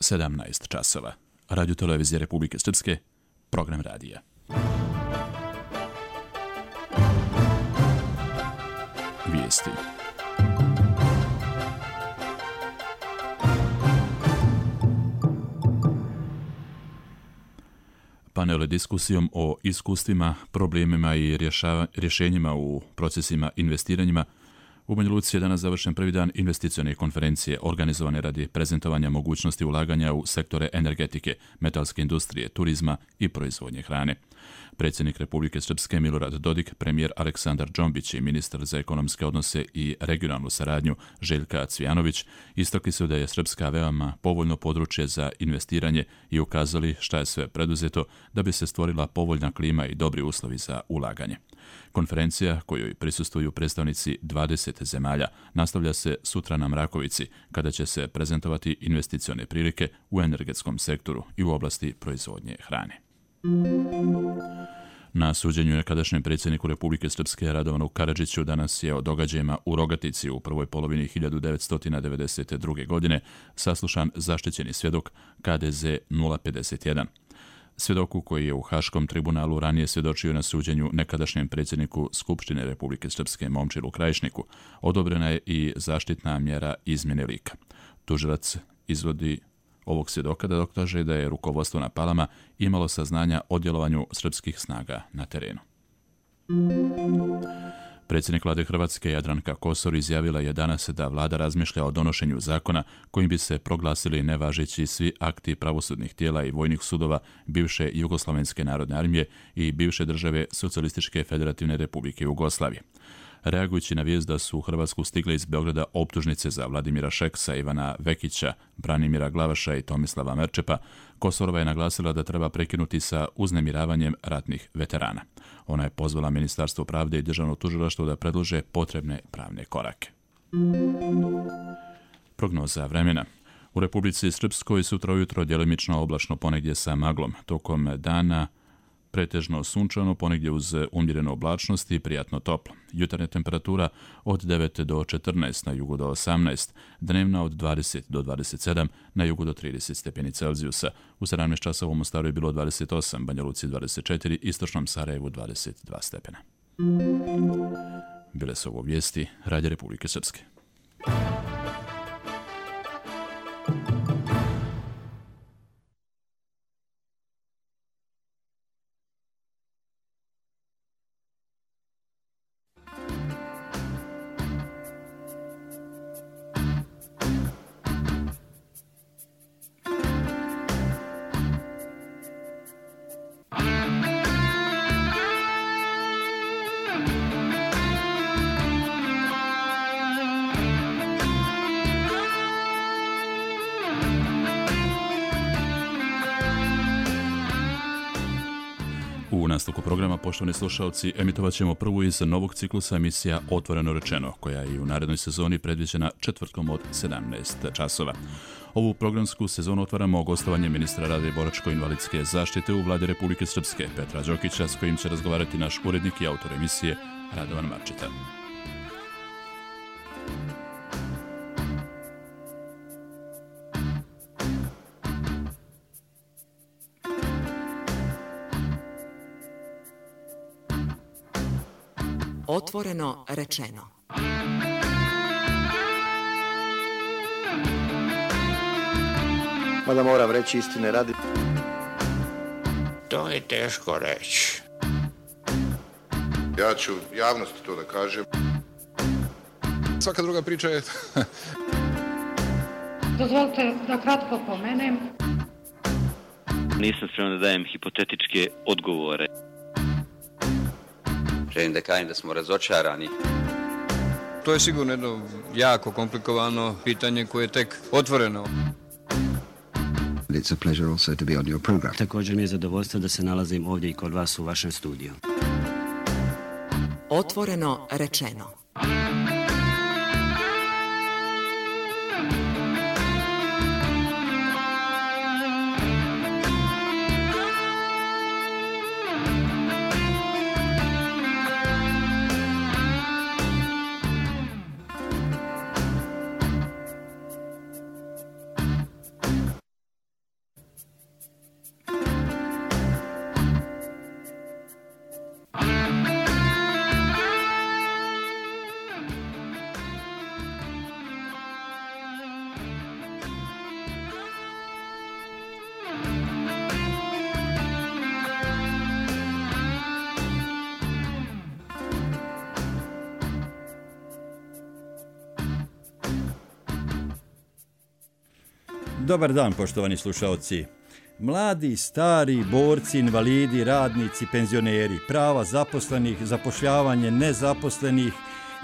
17 časova. Radio televizije Republike Srpske, program radija. Vijesti. Panel diskusijom o iskustvima, problemima i rješenjima u procesima investiranjima. U Banja Luci je danas završen prvi dan investicione konferencije organizovane radi prezentovanja mogućnosti ulaganja u sektore energetike, metalske industrije, turizma i proizvodnje hrane. Predsjednik Republike Srpske Milorad Dodik, premijer Aleksandar Džombić i ministar za ekonomske odnose i regionalnu saradnju Željka Cvijanović istakli su da je Srpska veoma povoljno područje za investiranje i ukazali šta je sve preduzeto da bi se stvorila povoljna klima i dobri uslovi za ulaganje. Konferencija, kojoj prisustvuju predstavnici 20 zemalja, nastavlja se sutra na Mrakovici, kada će se prezentovati investicione prilike u energetskom sektoru i u oblasti proizvodnje hrane. Na suđenju nekadašnjem predsjedniku Republike Srpske Radovanu Karadžiću danas je o događajima u Rogatici u prvoj polovini 1992. godine saslušan zaštićeni svjedok KDZ 051. Svjedoku koji je u Haškom tribunalu ranije svjedočio na suđenju nekadašnjem predsjedniku Skupštine Republike Srpske Momčilu Krajišniku, odobrena je i zaštitna mjera izmjene lika. Tužilac izvodi ovog svjedoka da dokaže da je rukovodstvo na Palama imalo saznanja o djelovanju srpskih snaga na terenu. Predsjednik vlade Hrvatske Jadranka Kosor izjavila je danas da vlada razmišlja o donošenju zakona kojim bi se proglasili nevažeći svi akti pravosudnih tijela i vojnih sudova bivše Jugoslavenske narodne armije i bivše države Socijalističke federativne republike Jugoslavije. Reagujući na vijest da su u Hrvatsku stigle iz Beograda optužnice za Vladimira Šeksa, Ivana Vekića, Branimira Glavaša i Tomislava Merčepa, Kosorova je naglasila da treba prekinuti sa uznemiravanjem ratnih veterana. Ona je pozvala Ministarstvo pravde i Državno tužilaštvo da predlože potrebne pravne korake. Prognoza vremena. U Republici Srpskoj sutra ujutro djelimično oblačno, ponegdje sa maglom. Tokom dana pretežno sunčano, ponegdje uz umjerenu oblačnost i prijatno toplo. Jutarnja temperatura od 9 do 14, na jugu do 18, dnevna od 20 do 27, na jugu do 30 stepeni Celzijusa. U 17 časova u Mostaru je bilo 28, Banja Luci 24, istočnom Sarajevu 22 stepena. Bile su ovo vijesti Radio Republike Srpske. U nastavku programa, poštovani slušalci, emitovat ćemo prvu iz novog ciklusa emisija Otvoreno rečeno, koja je u narednoj sezoni predviđena četvrtkom od 17 časova. Ovu programsku sezonu otvaramo gostovanje ministra rada i boračko-invalidske zaštite u vladi Republike Srpske, Petra Đokića, s kojim će razgovarati naš urednik i autor emisije Radovan Marčeta. Otvoreno rečeno. Mada moram reći istine radi. To je teško reći. Ja ću javnosti to da kažem. Svaka druga priča je... Dozvolite da kratko pomenem. Nisam spreman da dajem hipotetičke odgovore. Želim da kažem da smo razočarani. To je sigurno jedno jako komplikovano pitanje koje je tek otvoreno. It's a pleasure also to be on your program. Također mi je zadovoljstvo da se nalazim ovdje i kod vas u vašem studiju. Otvoreno rečeno. Dobar dan, poštovani slušaoci. Mladi, stari, borci, invalidi, radnici, penzioneri, prava zaposlenih, zapošljavanje nezaposlenih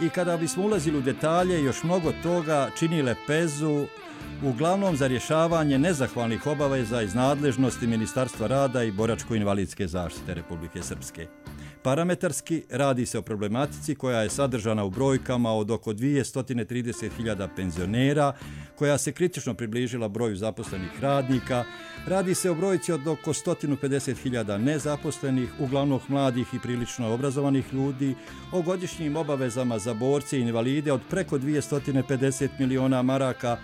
i kada bismo ulazili u detalje, još mnogo toga čini lepezu uglavnom za rješavanje nezahvalnih obaveza iz nadležnosti Ministarstva rada i boračko-invalidske zaštite Republike Srpske. Parametarski radi se o problematici koja je sadržana u brojkama od oko 230.000 penzionera, koja se kritično približila broju zaposlenih radnika. Radi se o brojci od oko 150.000 nezaposlenih, uglavnom mladih i prilično obrazovanih ljudi, o godišnjim obavezama za borce i invalide od preko 250 miliona maraka,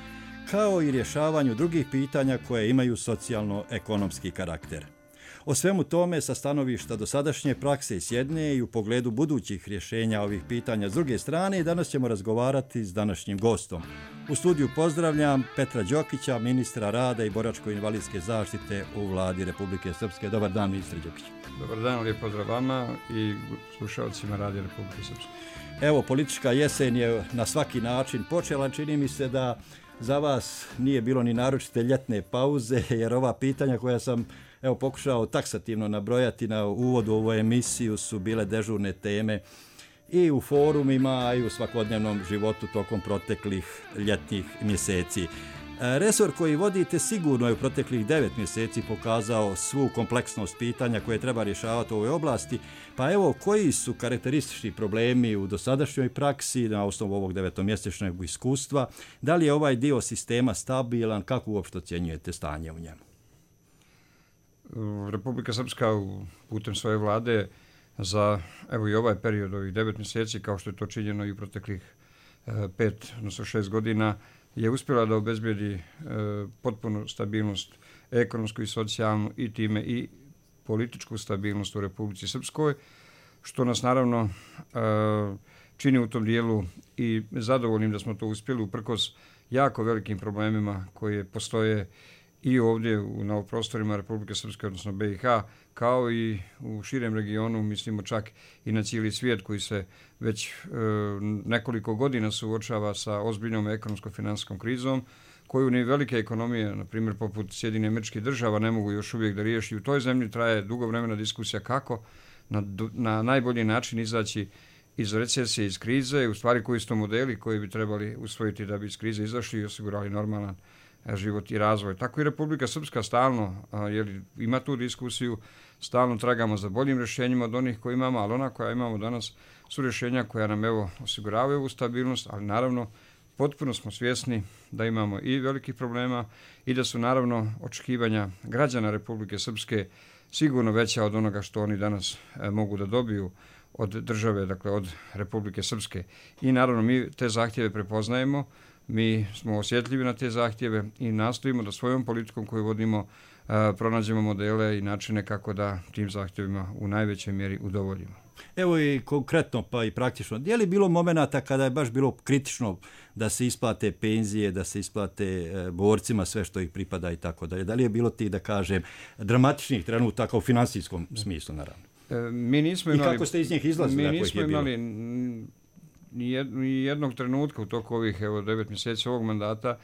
kao i rješavanju drugih pitanja koje imaju socijalno-ekonomski karakter. O svemu tome sa stanovišta dosadašnje prakse s jedne i u pogledu budućih rješenja ovih pitanja s druge strane i danas ćemo razgovarati s današnjim gostom. U studiju pozdravljam Petra Đokića, ministra rada i boračko-invalidske zaštite u Vladi Republike Srpske. Dobar dan, ministre Đokić. Dobar dan, lijep pozdrav vama i slušalcima Radija Republike Srpske. Evo, politička jesen je na svaki način počela. Čini mi se da za vas nije bilo ni naročite ljetne pauze, jer ova pitanja koja sam pokušao taksativno nabrojati na uvodu u ovu emisiju su bile dežurne teme i u forumima i u svakodnevnom životu tokom proteklih ljetnih mjeseci. Resor koji vodite sigurno je u proteklih 9 mjeseci pokazao svu kompleksnost pitanja koje treba rješavati u ovoj oblasti. Pa evo, koji su karakteristični problemi u dosadašnjoj praksi na osnovu ovog 9-mjesečnog iskustva? Da li je ovaj dio sistema stabilan? Kako uopšte ocjenjujete stanje u njemu? Republika Srpska putem svoje vlade za i ovaj period, ovih 9 mjeseci, kao što je to činjeno i u proteklih 5, odnosno 6 godina, je uspjela da obezbijedi potpunu stabilnost, ekonomsku i socijalnu i time i političku stabilnost u Republici Srpskoj, što nas naravno čini u tom dijelu i zadovoljnim da smo to uspjeli uprkos jako velikim problemima koje postoje i ovdje na prostorima Republike Srpske, odnosno BiH, kao i u širem regionu, mislimo čak i na cijeli svijet koji se već nekoliko godina suočava sa ozbiljnom ekonomsko-finansijskom krizom, koju ni velike ekonomije, na primjer poput Sjedinjenih Američkih Država, ne mogu još uvijek da riješi. U toj zemlji traje dugo vremena diskusija kako na najbolji način izaći iz recesije, iz krize, u stvari koji su to modeli koji bi trebali usvojiti da bi iz krize izašli i osigurali normalan život i razvoj. Tako i Republika Srpska stalno ima tu diskusiju, stalno tragamo za boljim rješenjima od onih koje imamo, ali ona koja imamo danas su rješenja koja nam osiguravaju ovu stabilnost, ali naravno potpuno smo svjesni da imamo i velikih problema i da su naravno očekivanja građana Republike Srpske sigurno veća od onoga što oni danas mogu da dobiju od države, dakle od Republike Srpske. I naravno mi te zahtjeve prepoznajemo, mi smo osjetljivi na te zahtjeve i nastojimo da svojom politikom koju vodimo pronađemo modele i načine kako da tim zahtjevima u najvećoj mjeri udovoljimo. Evo i konkretno pa i praktično. Je li bilo momenata kada je baš bilo kritično da se isplate penzije, da se isplate borcima sve što ih pripada i tako dalje? Da li je bilo tih, da kažem, dramatičnih trenutaka u finansijskom smislu, naravno? Mi nismo imali, i kako ste iz njih izlazili? Mi nismo imali ni jednog trenutka u toku ovih 9 mjeseci ovog mandata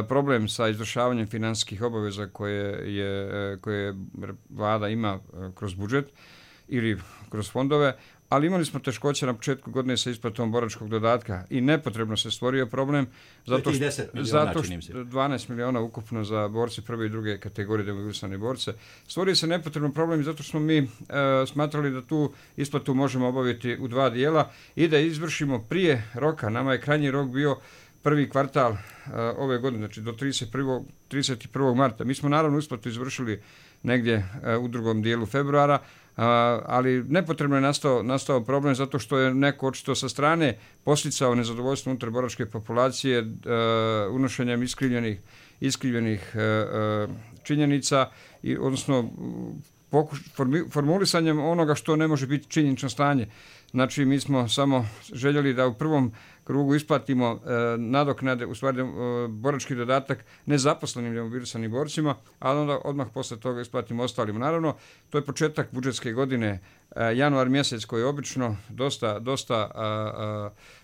problem sa izvršavanjem financijskih obaveza koje vlada ima kroz budžet ili kroz fondove, ali imali smo teškoće na početku godine sa isplatom boračkog dodatka i nepotrebno se stvorio problem zato što 12 miliona ukupno za borce prve i druge kategorije demobilisane borce. Stvorio se nepotrebno problem zato što smo mi smatrali da tu isplatu možemo obaviti u 2 dijela i da izvršimo prije roka. Nama je krajnji rok bio prvi kvartal ove godine, znači do 31. marta. Mi smo naravno isplatu izvršili negdje u drugom dijelu februara, ali nepotrebno je nastao problem zato što je neko očito sa strane posticao nezadovoljstvo unutar boračke populacije unošenjem iskrivljenih činjenica, odnosno formulisanjem onoga što ne može biti činjenično stanje. Znači, mi smo samo željeli da u prvom krugu isplatimo nadoknade, u stvari borački dodatak nezaposlenim demobilisanim borcima, ali onda odmah posle toga isplatimo ostalima. Naravno, to je početak budžetske godine, januar mjesec koji je obično dosta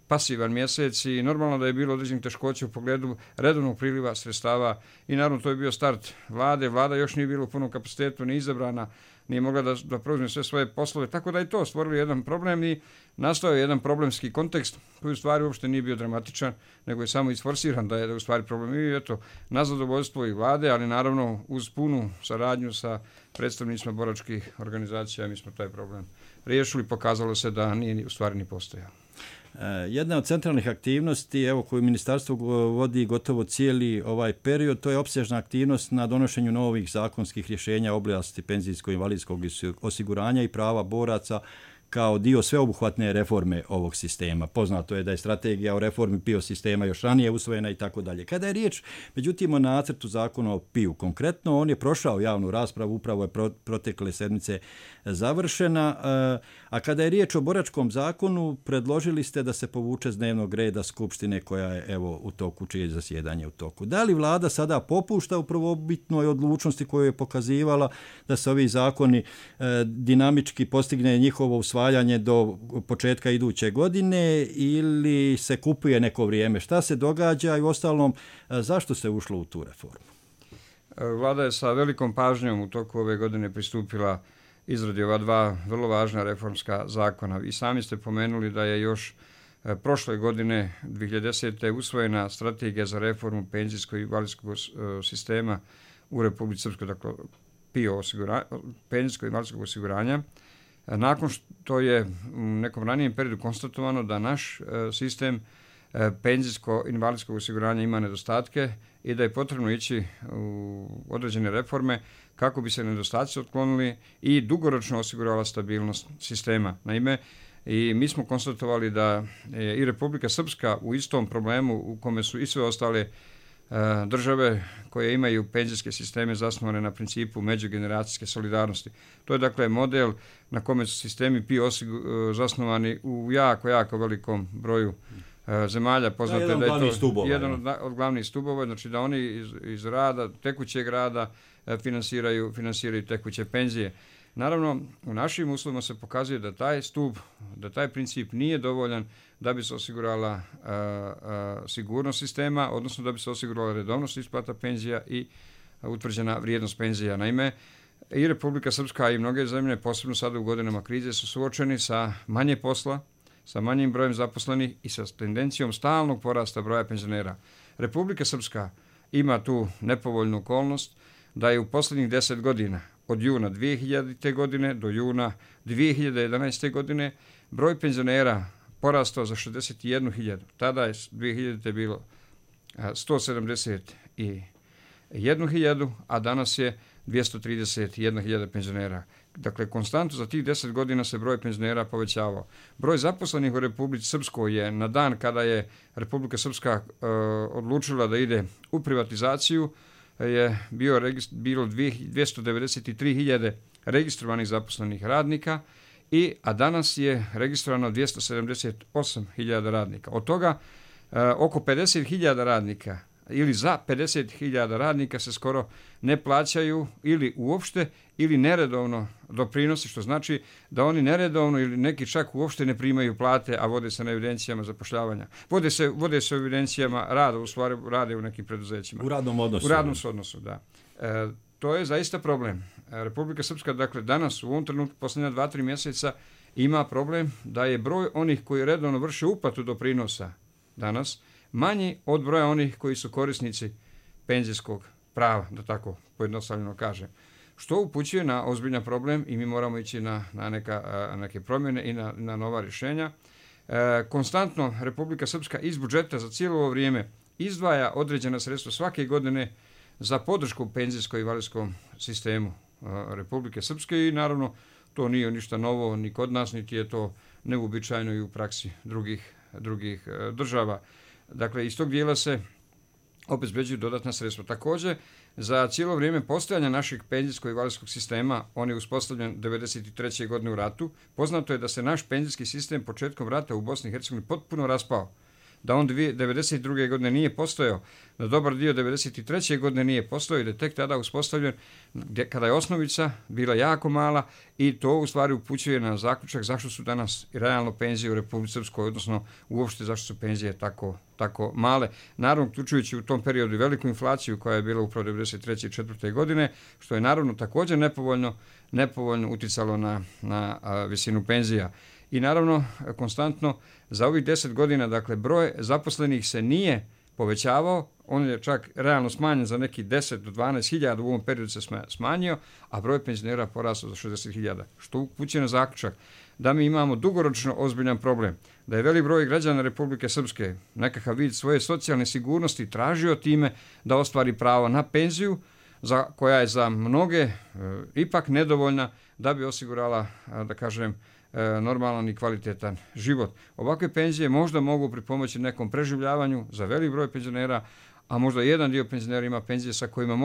pasivan mjesec i normalno da je bilo određenih teškoća u pogledu redovnog priliva sredstava i naravno to je bio start vlade. Vlada još nije bila u punom kapacitetu, ni izabrana, nije mogla da preuzme sve svoje poslove, tako da je to stvorilo jedan problem i nastao je jedan problemski kontekst koji u stvari uopšte nije bio dramatičan, nego je samo isforsiran da je u stvari problem. I eto, na zadovoljstvo i vlade, ali naravno uz punu saradnju sa predstavnicima boračkih organizacija mi smo taj problem riješili, pokazalo se da nije u stvari ni postojao. Jedna od centralnih aktivnosti, evo, koju ministarstvo vodi gotovo cijeli ovaj period, to je opsežna aktivnost na donošenju novih zakonskih rješenja u oblasti penzijsko-invalidskog osiguranja i prava boraca kao dio sveobuhvatne reforme ovog sistema. Poznato je da je strategija o reformi PIO sistema još ranije usvojena i tako dalje. Kada je riječ, međutim, o nacrtu zakona o PIO konkretno, on je prošao javnu raspravu, upravo je protekle sedmice završena, a kada je riječ o boračkom zakonu, predložili ste da se povuče s dnevnog reda Skupštine koja je evo u toku, čije je zasjedanje u toku. Da li vlada sada popušta u prvobitnoj odlučnosti koju je pokazivala da se ovi zakoni dinamički postigne njihovo usvajanje do početka iduće godine ili se kupuje neko vrijeme? Šta se događa i uostalom zašto se ušlo u tu reformu? Vlada je sa velikom pažnjom u toku ove godine pristupila izradi ova dva vrlo važna reformska zakona. I sami ste pomenuli da je još prošle godine 2010. usvojena strategija za reformu penzijskog i invalidskog sistema u Republici Srpskoj, dakle PIO penzijskog i invalidskog osiguranja. Nakon što je u nekom ranijem periodu konstatovano da naš sistem penzijsko-invalidskog osiguranja ima nedostatke i da je potrebno ići u određene reforme kako bi se nedostaci otklonili i dugoročno osigurala stabilnost sistema. Naime, i mi smo konstatovali da je i Republika Srpska u istom problemu u kome su i sve ostale države koje imaju penzijske sisteme zasnovane na principu međugeneracijske solidarnosti. To je dakle model na kome su sistemi PIO zasnovani u jako velikom broju zemalja. Poznato je da je to jedan od glavnih stubova, znači da oni iz rada, tekućeg rada finansiraju tekuće penzije. Naravno, u našim uslovima se pokazuje da taj stup, da taj princip nije dovoljan da bi se osigurala sigurnost sistema, odnosno da bi se osigurala redovnost isplata penzija i utvrđena vrijednost penzija. Naime, i Republika Srpska i mnoge zemlje, posebno sada u godinama krize, su suočeni sa manje posla, sa manjim brojem zaposlenih i sa tendencijom stalnog porasta broja penzionera. Republika Srpska ima tu nepovoljnu okolnost da je u posljednjih 10 godina, od juna 2000. godine do juna 2011. godine, broj penzionera porastao za 61.000. Tada je 2000. bilo 171.000, a danas je 231.000 penzionera. Dakle, konstantno za tih 10 godina se broj penzionera povećavao. Broj zaposlenih u Republici Srpskoj je na dan kada je Republika Srpska odlučila da ide u privatizaciju je bilo 293.000 registrovanih zaposlenih radnika, a danas je registrovano 278.000 radnika. Od toga oko 50.000 radnika ili za 50.000 radnika se skoro ne plaćaju ili uopšte ili neredovno doprinosi, što znači da oni neredovno ili neki čak uopšte ne primaju plate, a vode se na evidencijama zapošljavanja. Vode se u evidencijama rada, u stvari rade u nekim preduzećima. U radnom odnosu. U radnom odnosu, da. To je zaista problem. Republika Srpska, dakle, danas u ovom trenutku, posljednja 2-3 mjeseca, ima problem da je broj onih koji redovno vrše uplatu doprinosa danas manji od broja onih koji su korisnici penzijskog prava, da tako pojednostavljeno kažem. Što upućuje na ozbiljan problem i mi moramo ići na neke promjene i na nova rješenja. Konstantno Republika Srpska iz budžeta za cijelo ovo vrijeme izdvaja određena sredstva svake godine za podršku penzijsko-invalidskom sistemu Republike Srpske i naravno to nije ništa novo ni kod nas, niti je to neuobičajeno i u praksi drugih država. Dakle, iz tog dijela se obezbeđuju dodatna sredstva. Također, za cijelo vrijeme postojanja našeg penzijsko-invalidskog sistema, on je uspostavljen 1993. godine u ratu, poznato je da se naš penzijski sistem početkom rata u Bosni i Hercegovini potpuno raspao. da on 1992. godine nije postojao, da dobar dio 1993. godine nije postojao i da je tek tada uspostavljen kada je osnovica bila jako mala i to u stvari upućuje na zaključak zašto su danas i realno penzije u Republici Srpskoj, odnosno uopšte zašto su penzije tako male. Naravno, uključujući u tom periodu i veliku inflaciju koja je bila upravo 1993. i 1994. godine, što je naravno također nepovoljno uticalo na visinu penzija. I naravno, konstantno za ovih 10 godina, dakle, broj zaposlenih se nije povećavao, on je čak realno smanjen za neki 10 do 12 hiljada, u ovom periodu se smanjio, a broj penzionera porastao za 60 hiljada, što upućuje na zaključak da mi imamo dugoročno ozbiljan problem, da je velik broj građana Republike Srpske nekakav vid svoje socijalne sigurnosti tražio time da ostvari pravo na penziju, koja je za mnoge ipak nedovoljna da bi osigurala, da kažem, normalan i kvalitetan život. Ovakve penzije možda mogu pripomoći nekom preživljavanju za velik broj penzionera, a možda jedan dio penzionera ima penzije sa kojima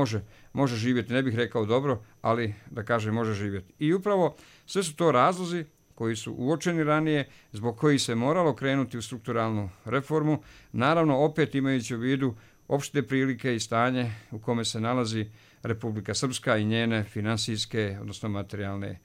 može živjeti. Ne bih rekao dobro, ali da kažem može živjeti. I upravo sve su to razlozi koji su uočeni ranije, zbog kojih se moralo krenuti u strukturalnu reformu, naravno opet imajući u vidu opšte prilike i stanje u kome se nalazi Republika Srpska i njene finansijske, odnosno materijalne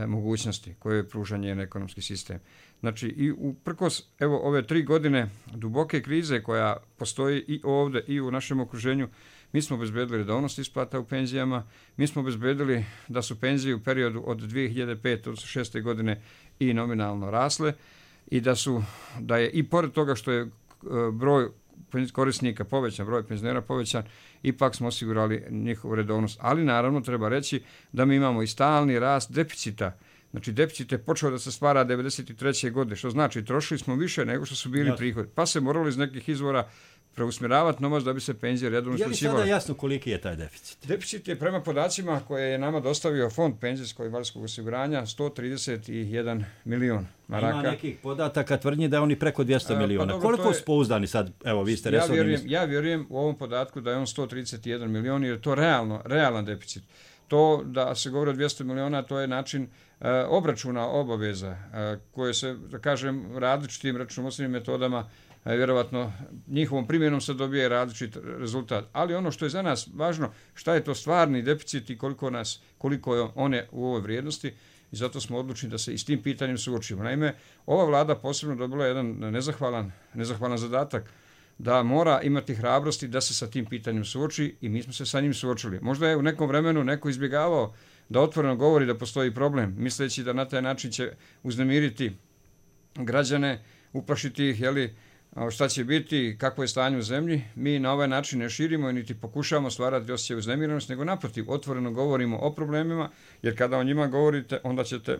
mogućnosti koje pruža njen ekonomski sistem. Znači i uprkos ove 3 godine duboke krize koja postoji i ovdje i u našem okruženju, mi smo obezbedili redovnost isplata u penzijama, mi smo obezbedili da su penzije u periodu od 2005. do 2006. godine i nominalno rasle i da je i pored toga što je broj korisnika povećan, broj penzionera povećan, ipak smo osigurali njihovu redovnost. Ali naravno treba reći da mi imamo i stalni rast deficita. Znači deficit je počeo da se stvara 1993. godine, što znači trošili smo više nego što su bili prihodi. Pa se moralo iz nekih izvora preusmjeravati novac da bi se penzije redovno isplaćivale. Je li sada jasno koliki je taj deficit? Deficit je prema podacima koje je nama dostavio Fond penzijskog i invalidskog osiguranja 131 milion maraka. Ima nekih podataka tvrdnji da je on i preko 200 miliona. Pa koliko su pouzdani sad? Evo, vi ste resorni ministar. Ja vjerujem u ovom podatku da je on 131 milion jer je to realan deficit. To da se govori o 200 miliona, to je način obračuna obaveza koje se, da kažem, različitim računovodstvenim metodama vjerovatno njihovom primjenom se dobije različit rezultat. Ali ono što je za nas važno, šta je to stvarni deficit i koliko je one u ovoj vrijednosti i zato smo odlučni da se i s tim pitanjem suočimo. Naime, ova vlada posebno dobila jedan nezahvalan zadatak da mora imati hrabrosti da se sa tim pitanjem suoči i mi smo se sa njim suočili. Možda je u nekom vremenu neko izbjegavao da otvoreno govori da postoji problem, misleći da na taj način će uznemiriti građane, uplašiti ih, šta će biti, kakvo je stanje u zemlji. Mi na ovaj način ne širimo i niti pokušavamo stvarati osjećaj uznemiranosti, nego naprotiv, otvoreno govorimo o problemima, jer kada o njima govorite, onda ćete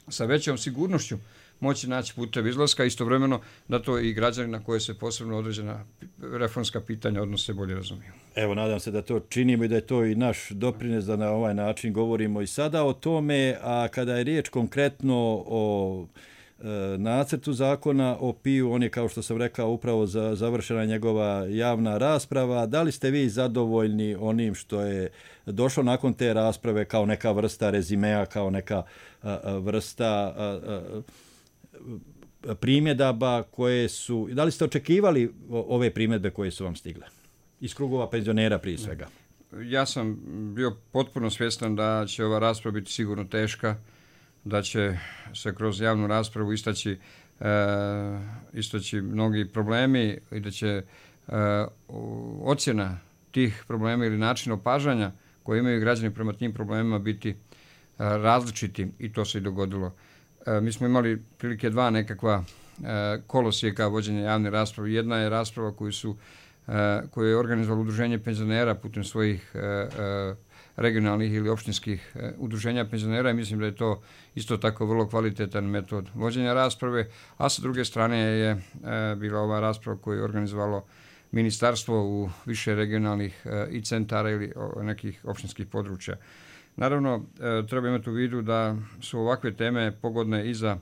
sa većom sigurnošću moći naći puteve izlaska, istovremeno da to i građani na koje se posebno određena reformska pitanja odnose bolje razumiju. Evo, nadam se da to činimo i da je to i naš doprines da na ovaj način govorimo i sada o tome, a kada je riječ konkretno o nacrtu zakona o PIU, on je, kao što sam rekao, upravo završena njegova javna rasprava. Da li ste vi zadovoljni onim što je došlo nakon te rasprave kao neka vrsta rezimea, kao neka vrsta primjedaba koje su... Da li ste očekivali ove primjedbe koje su vam stigle? Iz krugova penzionera prije svega. Ja sam bio potpuno svjestan da će ova rasprava biti sigurno teška, da će se kroz javnu raspravu istaći mnogi problemi i da će ocjena tih problema ili način opažanja koje imaju građani prema tim problemima biti različiti i to se i dogodilo. Mi smo imali prilike 2 nekakva kolosijeka vođenja javne rasprave. Jedna je rasprava koju je organizovalo Udruženje penzionera putem svojih regionalnih ili opštinskih udruženja penzionera i mislim da je to isto tako vrlo kvalitetan metod vođenja rasprave, a sa druge strane je bila ova rasprava koju je organizovalo ministarstvo u više regionalnih i centara ili nekih opštinskih područja. Naravno, treba imati u vidu da su ovakve teme pogodne i za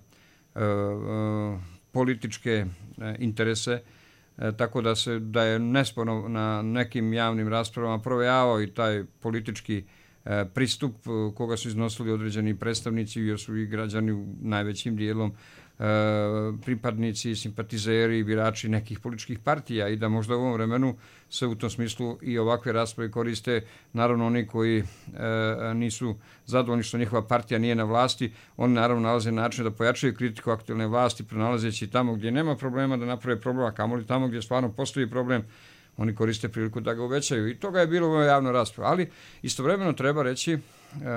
političke interese, tako da je nesporno na nekim javnim raspravama provejavao i taj politički pristup koga su iznosili određeni predstavnici jer su i građani najvećim dijelom pripadnici, simpatizeri, birači nekih političkih partija i da možda u ovom vremenu se u tom smislu i ovakve rasprave koriste. Naravno, oni koji nisu zadovoljni što njihova partija nije na vlasti, oni naravno nalaze način da pojačaju kritiku aktualne vlasti, pronalazeći tamo gdje nema problema da naprave problem, a kamoli tamo gdje stvarno postoji problem, oni koriste priliku da ga uvećaju. I toga je bilo u javnoj raspravi. Ali istovremeno treba reći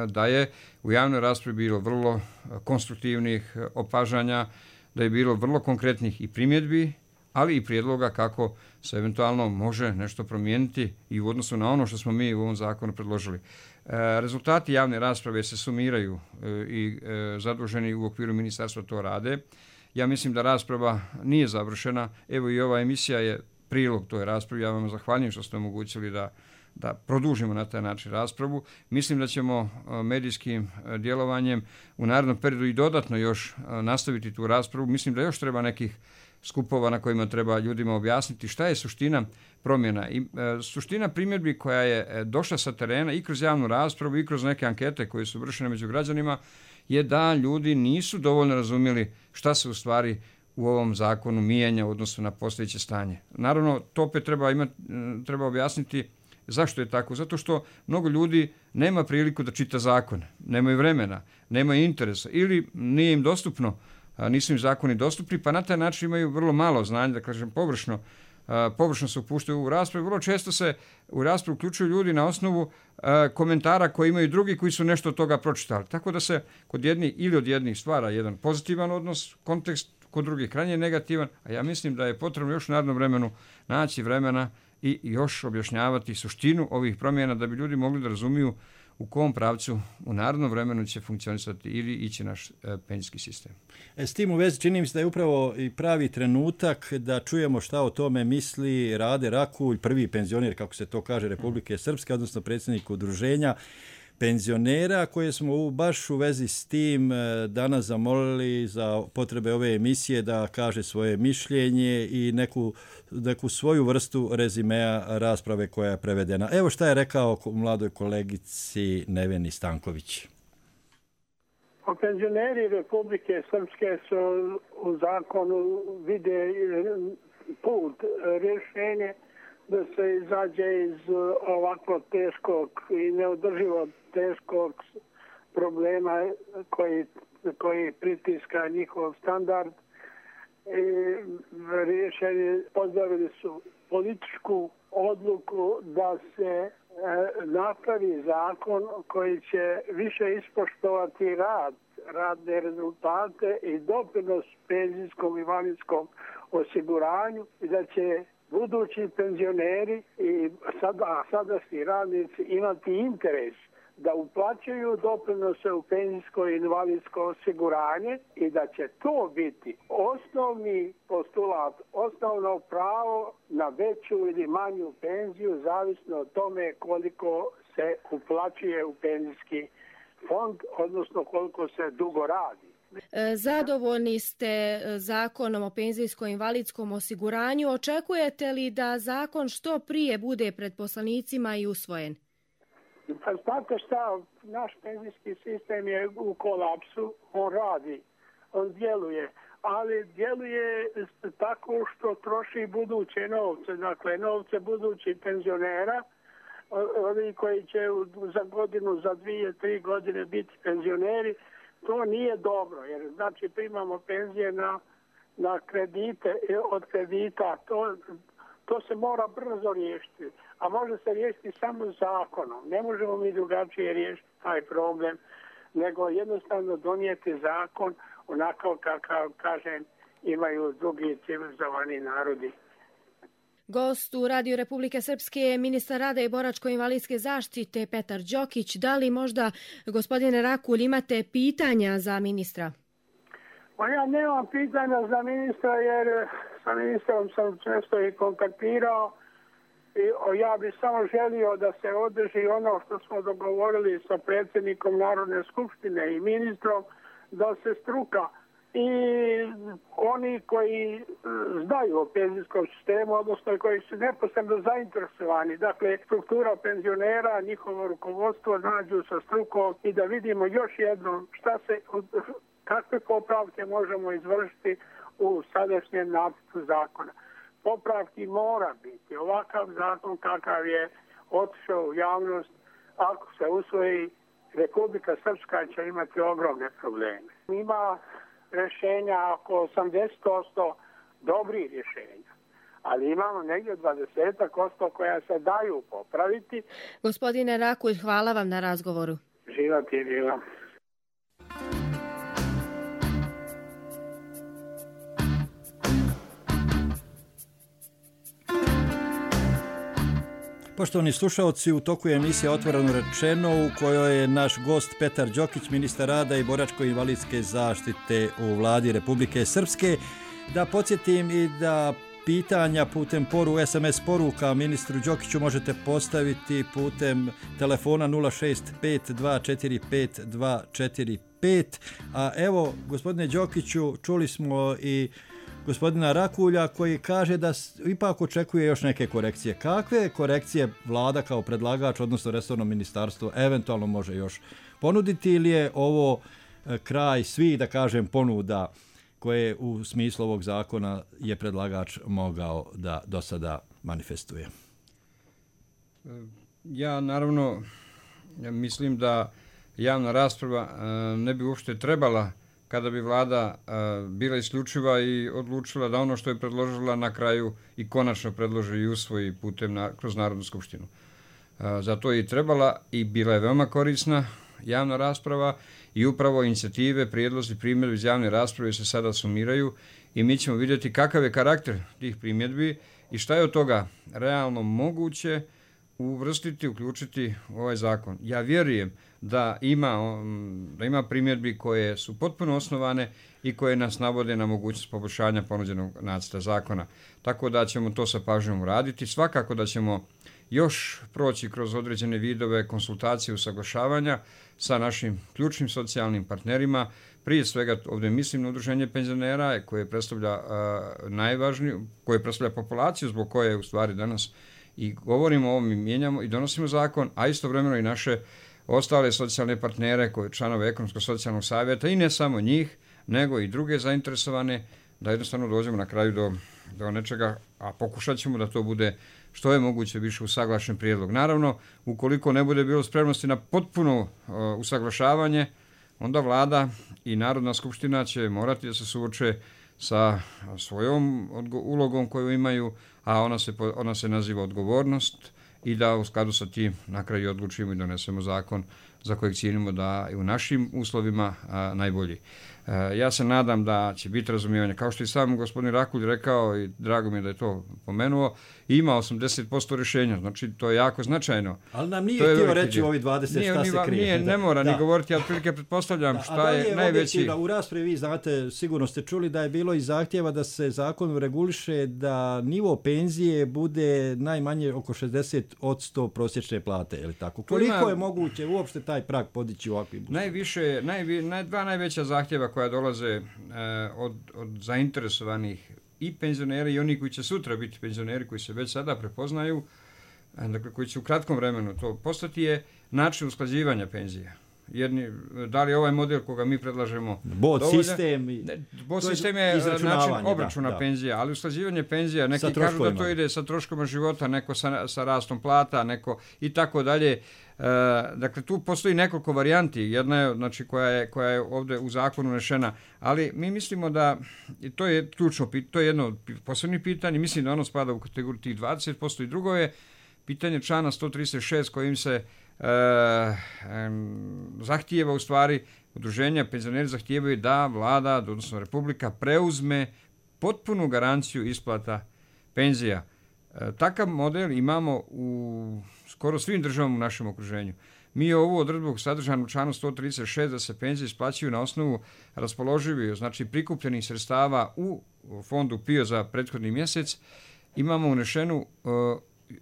da je u javnoj raspravi bilo vrlo konstruktivnih opažanja, da je bilo vrlo konkretnih i primjedbi, ali i prijedloga kako se eventualno može nešto promijeniti i u odnosu na ono što smo mi u ovom zakonu predložili. Rezultati javne rasprave se sumiraju i zaduženi u okviru ministarstva to rade. Ja mislim da rasprava nije završena. Evo i ova emisija je prilog toj raspravi. Ja vam zahvaljujem što ste omogućili da produžimo na taj način raspravu. Mislim da ćemo medijskim djelovanjem u narednom periodu i dodatno još nastaviti tu raspravu. Mislim da još treba nekih skupova na kojima treba ljudima objasniti šta je suština promjena. I suština primjedbi koja je došla sa terena i kroz javnu raspravu i kroz neke ankete koje su vršene među građanima je da ljudi nisu dovoljno razumjeli šta se u stvari u ovom zakonu mijenja u odnosu na postojeće stanje. Naravno, to opet treba objasniti zašto je tako. Zato što mnogo ljudi nema priliku da čita zakone, nemaju vremena, nemaju interesa ili nije im dostupno, nisu im zakoni dostupni, pa na taj način imaju vrlo malo znanja, da kažem površno se upuštaju u raspravu. Vrlo često se u raspravu uključuju ljudi na osnovu komentara koje imaju drugi koji su nešto od toga pročitali. Tako da se kod jednih ili od jednih stvara jedan pozitivan odnos, kontekst, kod drugih krajnje negativan, a ja mislim da je potrebno još u narednom vremenu naći vremena i još objašnjavati suštinu ovih promjena da bi ljudi mogli da razumiju u kom pravcu u narednom vremenu će funkcionisati ili ići naš penzijski sistem. S tim u vezi čini mi se da je upravo i pravi trenutak da čujemo šta o tome misli Rade Rakulj, prvi penzioner, kako se to kaže, Republike Srpske, odnosno predsjednik udruženja penzionera, koje smo baš u vezi s tim danas zamolili za potrebe ove emisije da kaže svoje mišljenje i neku svoju vrstu rezimea rasprave koja je prevedena. Evo šta je rekao mladoj kolegici Neveni Stanković. Penzioneri Republike Srpske su u zakonu vide put, rješenje da se izađe iz ovako teškog i neodrživo teškog problema koji pritiska njihov standard. Rješenje pozdravili su političku odluku da se napravi zakon koji će više ispoštovati radne rezultate i doprinos penzijskom i invalidskom osiguranju i da će budući penzioneri i sadašnji radnici imati interes da uplaćuju doprinose u penzijsko i invalidsko osiguranje i da će to biti osnovni postulat, osnovno pravo na veću ili manju penziju, zavisno od tome koliko se uplaćuje u penzijski fond, odnosno koliko se dugo radi. Zadovoljni ste zakonom o penzijsko-invalidskom osiguranju. Očekujete li da zakon što prije bude pred poslanicima i usvojen? Pa znate šta, naš penzijski sistem je u kolapsu, on radi, on djeluje, ali djeluje tako što troši buduće novce, dakle novce budućih penzionera, ovi koji će za godinu, za 2-3 godine biti penzioneri. To nije dobro, jer znači primamo penzije na kredite, od kredita, to se mora brzo riješiti, a može se riješiti samo zakonom. Ne možemo mi drugačije riješiti taj problem, nego jednostavno donijeti zakon onako kakav, kažem, imaju drugi civilizovani narodi. Gost u Radio Republike Srpske je ministar rada i boračko-invalidske zaštite Petar Đokić. Da li možda, gospodine Rakulj, imate pitanja za ministra? Pa ja nemam pitanja za ministra jer sa ministrom sam često i kontaktirao i ja bih samo želio da se održi ono što smo dogovorili sa predsjednikom Narodne skupštine i ministrom, da se struka i oni koji znaju o penzijskom sistemu, odnosno koji su neposredno zainteresovani, dakle struktura penzionera, njihovo rukovodstvo nađu sa strukom i da vidimo još jednom Kakve popravke možemo izvršiti u sadašnjem nacrtu zakona? Popravki mora biti. Ovakav zakon kakav je otišao u javnost, ako se usvoji, Republika Srpska će imati ogromne probleme. Ima rješenja oko 80% dobrih rješenja, ali imamo negdje 20% koja se daju popraviti. Gospodine Rakulj, hvala vam na razgovoru. Živa ti je bila. Poštovani slušalci, u toku je emisija Otvoreno rečeno u kojoj je naš gost Petar Đokić, ministar rada i boračko-invalidske zaštite u vladi Republike Srpske. Da podsjetim i da pitanja putem SMS poruka ministru Đokiću možete postaviti putem telefona 065245245. A evo, gospodine Đokiću, čuli smo i gospodina Rakulja koji kaže da ipak očekuje još neke korekcije. Kakve korekcije vlada kao predlagač, odnosno resorno ministarstvo, eventualno može još ponuditi ili je ovo kraj svih, da kažem, ponuda koje u smislu ovog zakona je predlagač mogao da do sada manifestuje? Ja naravno mislim da javna rasprava ne bi uopšte trebala kada bi vlada bila isključiva i odlučila da ono što je predložila na kraju i konačno predloži i usvoji putem kroz Narodnu skupštinu. Zato je i trebala i bila je veoma korisna javna rasprava i upravo inicijative, prijedlozi, primjedbi iz javne rasprave se sada sumiraju i mi ćemo vidjeti kakav je karakter tih primjedbi i šta je od toga realno moguće uvrstiti, uključiti u ovaj zakon. Ja vjerujem da ima primjedbi koje su potpuno osnovane i koje nas navode na mogućnost poboljšanja ponuđenog nacrta zakona. Tako da ćemo to sa pažnjom uraditi. Svakako da ćemo još proći kroz određene vidove konsultacije, usaglašavanja sa našim ključnim socijalnim partnerima. Prije svega ovdje mislim na udruženje penzionera koje predstavlja najvažniju, koje predstavlja populaciju zbog koje u stvari danas i govorimo o ovom i mijenjamo i donosimo zakon, a istovremeno i naše ostale socijalne partnere, koje članove Ekonomsko-socijalnog savjeta i ne samo njih, nego i druge zainteresovane, da jednostavno dođemo na kraju do nečega, a pokušat ćemo da to bude što je moguće više usaglašen prijedlog. Naravno, ukoliko ne bude bilo spremnosti na potpuno usaglašavanje, onda vlada i Narodna skupština će morati da se suoče sa svojom ulogom koju imaju, a ona se naziva odgovornost i da u skladu sa tim na kraju odlučimo i donesemo zakon za kojeg cijenimo da je u našim uslovima najbolji. Ja se nadam da će biti razumijevanje. Kao što i sam gospodin Rakulj rekao i drago mi je da je to pomenuo, ima 80% rješenja, znači to je jako značajno. Ali nam nije htio reći u ovih 20 šta se krije. Ne mora ni govoriti, ja otprilike pretpostavljam šta je najveći. U raspravi vi znate, sigurno ste čuli da je bilo i zahtjeva da se zakon reguliše da nivo penzije bude najmanje oko 60% prosječne plate, je li tako? Koliko je moguće uopšte taj prag podići u ovakvim uslovima? Dva najveća zahtjeva koja dolaze od zainteresovanih i penzionera i oni koji će sutra biti penzioneri, koji se već sada prepoznaju, dakle koji će u kratkom vremenu to postati, je način usklađivanja penzija. Da li je ovaj model koga mi predlažemo bod sistem je način obračuna penzija, ali usklađivanje penzija, neki kažu da to ide sa troškovima života, neko sa rastom plata, neko i tako dalje. Dakle, tu postoji nekoliko varijanti, jedna je, znači, koja je ovdje u zakonu unešena, ali mi mislimo da to je ključno, to je jedno od posebnih pitanja, mislim da ono spada u kategoriju tih 20% i drugo je pitanje člana 136 kojim se zahtijeva u stvari udruženja penzioneri zahtijevaju da vlada, odnosno Republika, preuzme potpunu garanciju isplata penzija. Takav model imamo u skoro svim državama u našem okruženju. Mi ovu odredbu sadržanu u članu 136 da se penzije isplaćuju na osnovu raspoloživih, znači prikupljenih sredstava u fondu PIO za prethodni mjesec, imamo unešenu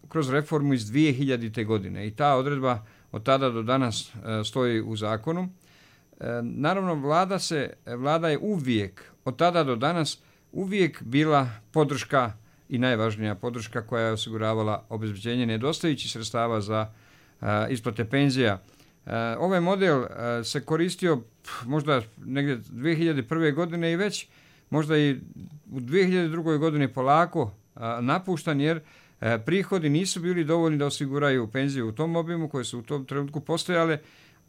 kroz reformu iz 2000. godine i ta odredba od tada do danas stoji u zakonu. Naravno, vlada je uvijek, od tada do danas, uvijek bila podrška i najvažnija podrška koja je osiguravala obezbeđenje nedostajućih sredstava za isplate penzija. Ovaj model se koristio možda negdje 2001. godine i već možda i u 2002. godini polako napuštan jer prihodi nisu bili dovoljni da osiguraju penziju u tom obimu koje su u tom trenutku postojale,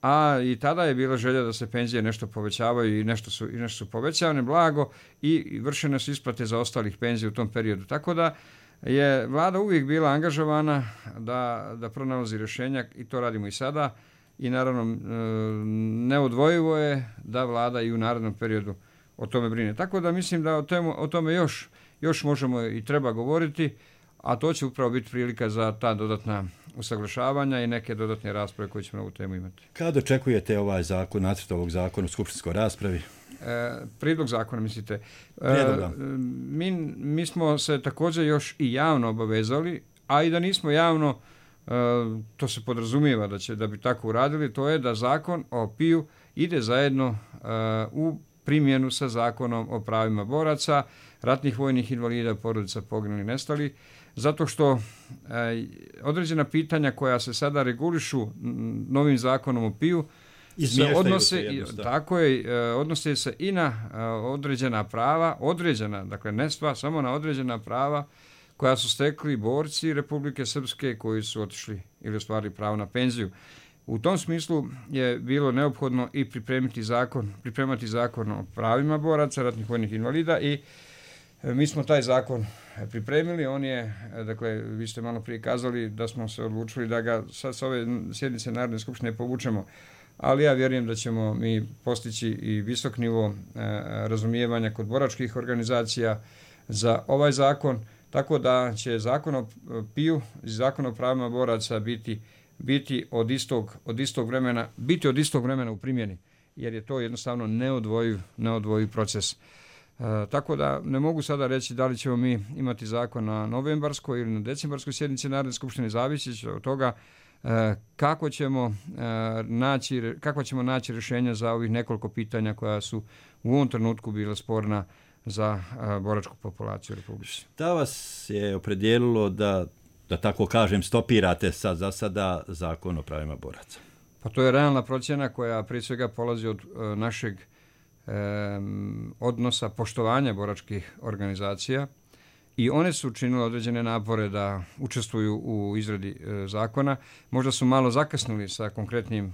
a i tada je bila želja da se penzije nešto povećavaju i nešto su povećavane blago i vršene su isplate za ostalih penzija u tom periodu. Tako da je vlada uvijek bila angažovana da pronalazi rješenja i to radimo i sada i naravno neodvojivo je da vlada i u narednom periodu o tome brine. Tako da mislim da o tome još možemo i treba govoriti, a to će upravo biti prilika za ta dodatna usaglašavanja i neke dodatne rasprave koje ćemo na ovu temu imati. Kada očekujete ovaj zakon, nacrt ovog zakona u skupštinskoj raspravi? Prijedlog zakona, mislite? Mi smo se također još i javno obavezali, a i da nismo javno, to se podrazumijeva da bi tako uradili, to je da zakon o PIU ide zajedno u primjenu sa zakonom o pravima boraca, ratnih vojnih invalida, porodica poginulih i nestalih, zato što određena pitanja koja se sada regulišu novim zakonom o PIU odnose se i na određena prava, dakle ne sva, samo na određena prava koja su stekli borci Republike Srpske koji su otišli ili ostvarili pravo na penziju. U tom smislu je bilo neophodno i pripremati zakon o pravima boraca, ratnih vojnih invalida i mi smo taj zakon pripremili. On je, dakle, vi ste malo prije kazali da smo se odlučili da ga sa ove sjednice Narodne skupštine povučemo, ali ja vjerujem da ćemo mi postići i visok nivo razumijevanja kod boračkih organizacija za ovaj zakon, tako da će zakon o PIU i zakon o pravima boraca biti od istog vremena u primjeni, jer je to jednostavno neodvojiv proces. Tako da ne mogu sada reći da li ćemo mi imati zakon na novembarskoj ili na decembarskoj sjednici Narodne skupštine, zavisi od toga kako ćemo naći rješenja za ovih nekoliko pitanja koja su u ovom trenutku bila sporna za boračku populaciju Republike. Šta vas je opredijelilo da tako kažem, stopirate za sada zakon o pravima boraca? Pa to je realna procjena koja prije svega polazi od našeg odnosa poštovanja boračkih organizacija i one su učinile određene napore da učestvuju u izradi zakona. Možda su malo zakasnili sa konkretnim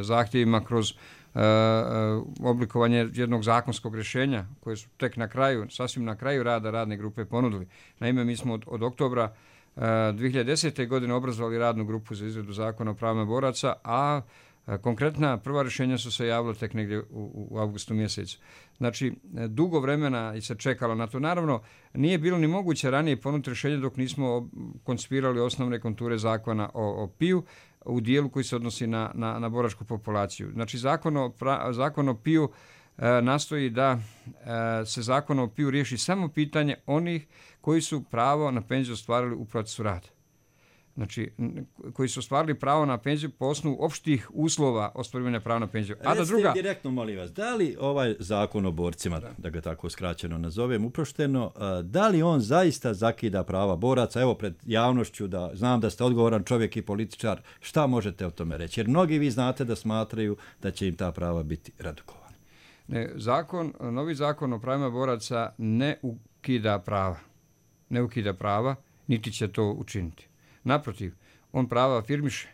zahtjevima kroz oblikovanje jednog zakonskog rješenja koje su tek sasvim na kraju rada radne grupe ponudili. Naime, mi smo od oktobra 2010. godine obrazovali radnu grupu za izradu zakona o pravima boraca, a konkretna prva rješenja su se javila tek negdje u avgustu mjesecu. Znači, dugo vremena i se čekalo na to. Naravno, nije bilo ni moguće ranije ponuditi rješenje dok nismo koncipirali osnovne konture zakona o PIU u dijelu koji se odnosi na boračku populaciju. Znači, zakon o PIU nastoji da se zakon o PIU riješi samo pitanje onih koji su pravo na penziju ostvarili u procesu rada. Znači, koji su ostvarili pravo na penziju po osnovu opštih uslova ostvarivanja prava na penziju. Recite direktno, molim vas, da li ovaj zakon o borcima, da ga tako skraćeno nazovem, uprošteno, da li on zaista zakida prava boraca? Evo, pred javnošću, da znam da ste odgovoran čovjek i političar, šta možete o tome reći? Jer mnogi vi znate da smatraju da će im ta prava biti redukovana. Novi zakon o pravima boraca ne ukida prava, niti će to učiniti. Naprotiv, on prava afirmiše,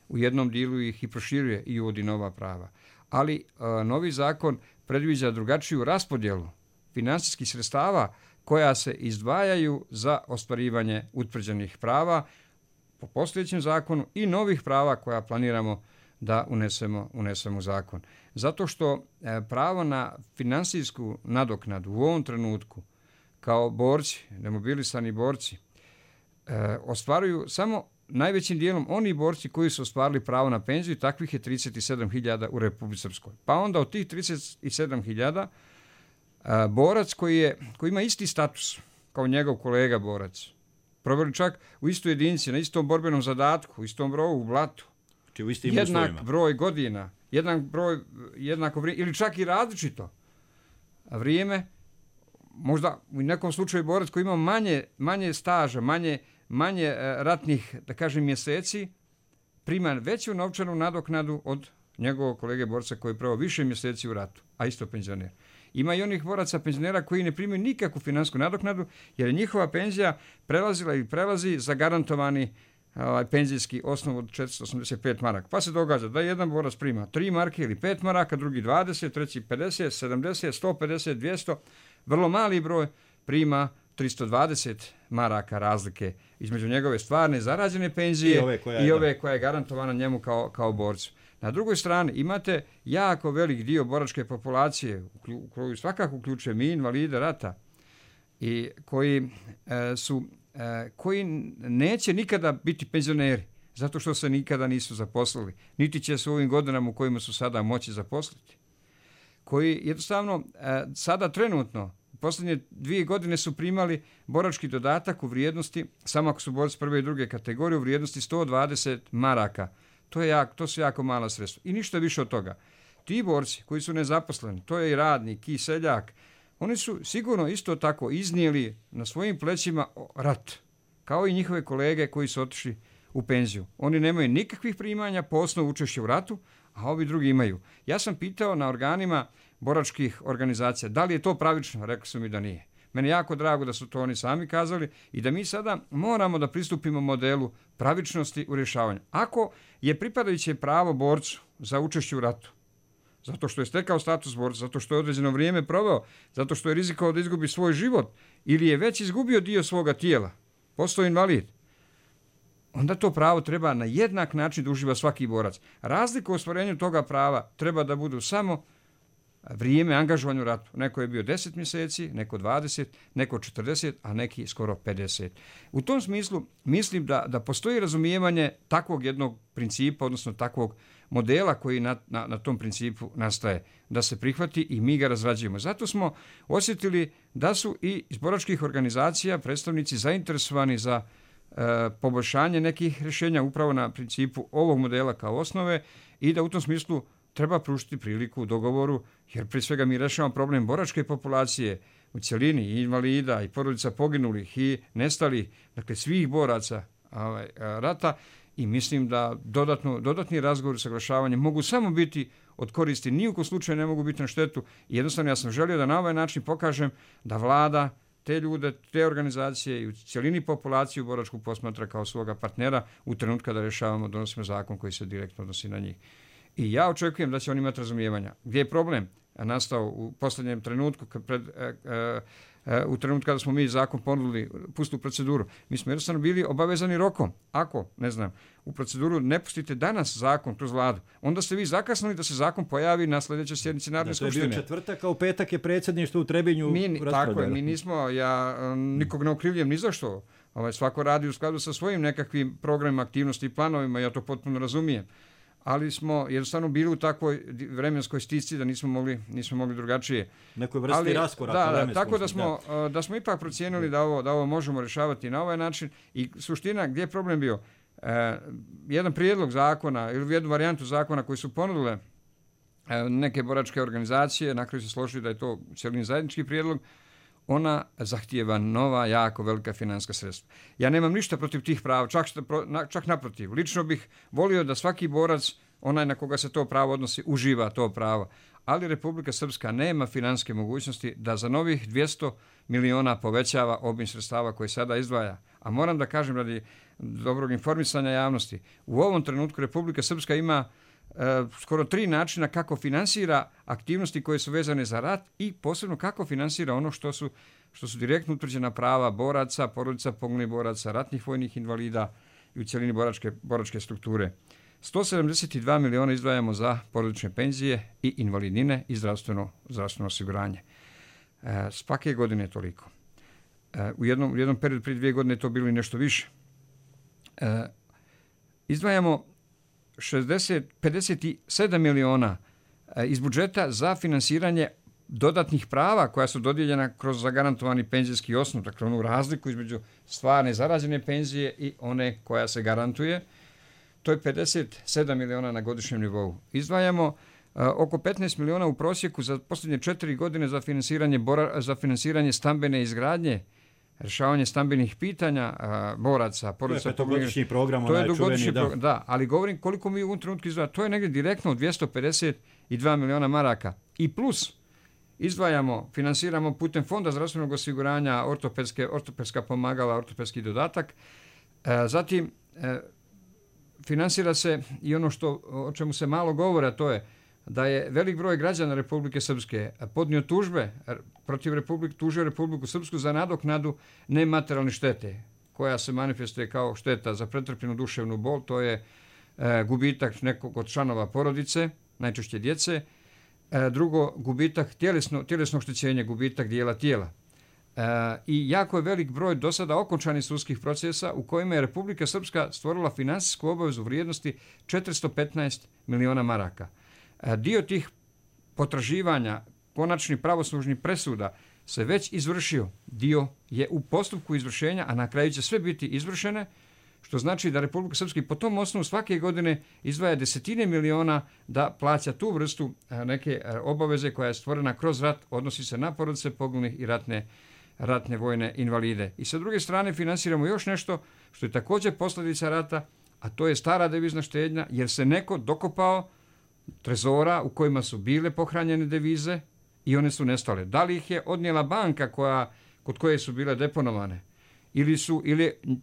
u jednom dijelu ih i proširuje i uvodi nova prava. Ali novi zakon predviđa drugačiju raspodjelu financijskih sredstava koja se izdvajaju za ostvarivanje utvrđenih prava po postojećem zakonu i novih prava koja planiramo da unesemo u zakon. Zato što pravo na financijsku nadoknadu u ovom trenutku kao borci, demobilisani borci, ostvaruju samo najvećim dijelom oni borci koji su ostvarili pravo na penziju, takvih je 37.000 u Republici Srpskoj. Pa onda od tih 37.000 borac koji ima isti status kao njegov kolega borac, proveli čak u istoj jedinici, na istom borbenom zadatku, u istom broju, u blatu, jednak broj godina, jednako vrijeme, ili čak i različito vrijeme, možda u nekom slučaju borac koji ima manje staža, manje ratnih, da kažem, mjeseci, prima veću novčanu nadoknadu od njegovog kolege borca koji je pravo više mjeseci u ratu, a isto penzioner. Ima i onih boraca penzionera koji ne primaju nikakvu finansku nadoknadu jer je njihova penzija prelazila ili prelazi zagarantovani penzijski osnov od 485 maraka. Pa se događa da jedan borac prima 3 marke ili 5 maraka, drugi 20, treći 50, 70, 150, 200. Vrlo mali broj prima 320 maraka razlike između njegove stvarne zarađene penzije i ove koja je garantovana njemu kao borcu. Na drugoj strani imate jako velik dio boračke populacije, koju svakako uključuje mi invalide rata, i koji neće nikada biti penzioneri, zato što se nikada nisu zaposlili, niti će se u ovim godinama u kojima su sada moći zaposliti. Koji jednostavno sada trenutno, posljednje 2 godine su primali borački dodatak u vrijednosti, samo ako su borci prve i druge kategorije, u vrijednosti 120 maraka. To su jako mala sredstva. I ništa više od toga. Ti borci koji su nezaposleni, to je i radnik, i seljak, oni su sigurno isto tako iznijeli na svojim plećima rat, kao i njihove kolege koji su otišli u penziju. Oni nemaju nikakvih primanja po osnovu učešća u ratu, a ovi drugi imaju. Ja sam pitao na organima boračkih organizacija da li je to pravično, rekli su mi da nije. Meni je jako drago da su to oni sami kazali i da mi sada moramo da pristupimo modelu pravičnosti u rješavanju. Ako je pripadajuće pravo borcu za učešće u ratu, zato što je stekao status borca, zato što je određeno vrijeme proveo, zato što je rizikovao da izgubi svoj život ili je već izgubio dio svoga tijela, postao invalid, onda to pravo treba na jednak način da uživa svaki borac. Razlika u ostvarenju toga prava treba da budu samo vrijeme angažovanja u ratu. Neko je bio 10 mjeseci, neko 20, neko 40, a neki skoro 50. U tom smislu mislim da postoji razumijevanje takvog jednog principa, odnosno takvog modela koji na tom principu nastaje, da se prihvati i mi ga razrađujemo. Zato smo osjetili da su i iz boračkih organizacija predstavnici zainteresovani za poboljšanje nekih rješenja upravo na principu ovog modela kao osnove i da u tom smislu treba pružiti priliku u dogovoru, jer prije svega mi rešavamo problem boračke populacije u cjelini, i invalida, i porodica poginulih, i nestalih, dakle svih boraca rata, i mislim da dodatni razgovor i saglašavanje mogu samo biti od koristi, ni u kom slučaju ne mogu biti na štetu. I jednostavno ja sam želio da na ovaj način pokažem da vlada te ljude, te organizacije i u cjelini populaciju boračku posmatra kao svoga partnera u trenutku kada rješavamo, donosimo zakon koji se direktno odnosi na njih. I ja očekujem da će oni imati razumijevanja. Gdje je problem nastao u posljednjem trenutku, u trenutku kada smo mi zakon ponudili, pustili u proceduru, mi smo jednostavno bili obavezani rokom. Ako, u proceduru ne pustite danas zakon kroz vladu, onda ste vi zakasnili da se zakon pojavi na sljedećoj sjednici Narodne skupštine. To je bio četvrtak, a u petak je predsjedništvo u Trebinju raspravljalo. Tako je, mi nismo, ja nikog ne okrivljujem ni zašto. Svako radi u skladu sa svojim nekakvim programima, aktivnosti i planovima, ja to potpuno razumijem. Ali smo jednostavno bili u takvoj vremenskoj stisci da nismo mogli drugačije. Nekoj vrsti raskoraka. Tako da smo ipak procijenili da ovo možemo rješavati na ovaj način. I suština, gdje je problem bio? Jedan prijedlog zakona ili jednu varijantu zakona koji su ponudile neke boračke organizacije, na kraju se složili da je to cjelini zajednički prijedlog, ona zahtijeva nova, jako velika financijska sredstva. Ja nemam ništa protiv tih prava, čak naprotiv. Lično bih volio da svaki borac, onaj na koga se to pravo odnosi, uživa to pravo. Ali Republika Srpska nema financijske mogućnosti da za novih 200 miliona povećava obim sredstava koje sada izdvaja. A moram da kažem radi dobrog informisanja javnosti, u ovom trenutku Republika Srpska ima skoro 3 načina kako finansira aktivnosti koje su vezane za rat i posebno kako finansira ono što su direktno utvrđena prava boraca, porodica poginulih boraca, ratnih vojnih invalida i u cjelini boračke strukture. 172 miliona izdvajamo za porodične penzije i invalidnine i zdravstveno osiguranje. Svake godine je toliko. U jednom periodu prije 2 godine je to bilo i nešto više. Izdvajamo 57 miliona iz budžeta za finansiranje dodatnih prava koja su dodijeljena kroz zagarantovani penzijski osnov, dakle onu razliku između stvarne zarađene penzije i one koja se garantuje. To je 57 miliona na godišnjem nivou. Izdvajamo oko 15 miliona u prosjeku za posljednje 4 godine za finansiranje stambene izgradnje rješavanje stambenih pitanja boraca, porodica. To je petogodišnji program, to je dugogodišnji program, da, ali govorim koliko mi u ovom trenutku izdvajamo, to je negdje direktno 252 miliona maraka. I plus izdvajamo, finansiramo putem Fonda zdravstvenog osiguranja ortopedska pomagala, ortopedski dodatak. Zatim finansira se i ono o čemu se malo govore, a to je da je velik broj građana Republike Srpske podnio tužbe protiv tužio Republiku Srpsku za nadoknadu nematerijalne štete, koja se manifestuje kao šteta za pretrpljenu duševnu bol, to je gubitak nekog od članova porodice, najčešće djece, drugo, gubitak tjelesno oštećenje, gubitak dijela tijela. I jako je velik broj do sada okončanih sudskih procesa u kojima je Republika Srpska stvorila finansijsku obavezu vrijednosti 415 miliona maraka. Dio tih potraživanja, konačni pravoslužni presuda se već izvršio. Dio je u postupku izvršenja, a na kraju će sve biti izvršene, što znači da Republika Srpska po tom osnovu svake godine izdvaja desetine miliona da plaća tu vrstu neke obaveze koja je stvorena kroz rat, odnosi se na porodice poginulih i ratne vojne invalide. I sa druge strane finansiramo još nešto što je također posljedica rata, a to je stara devizna štednja, jer se neko dokopao trezora u kojima su bile pohranjene devize i one su nestale. Da li ih je odnijela banka kod koje su bile deponovane? Ili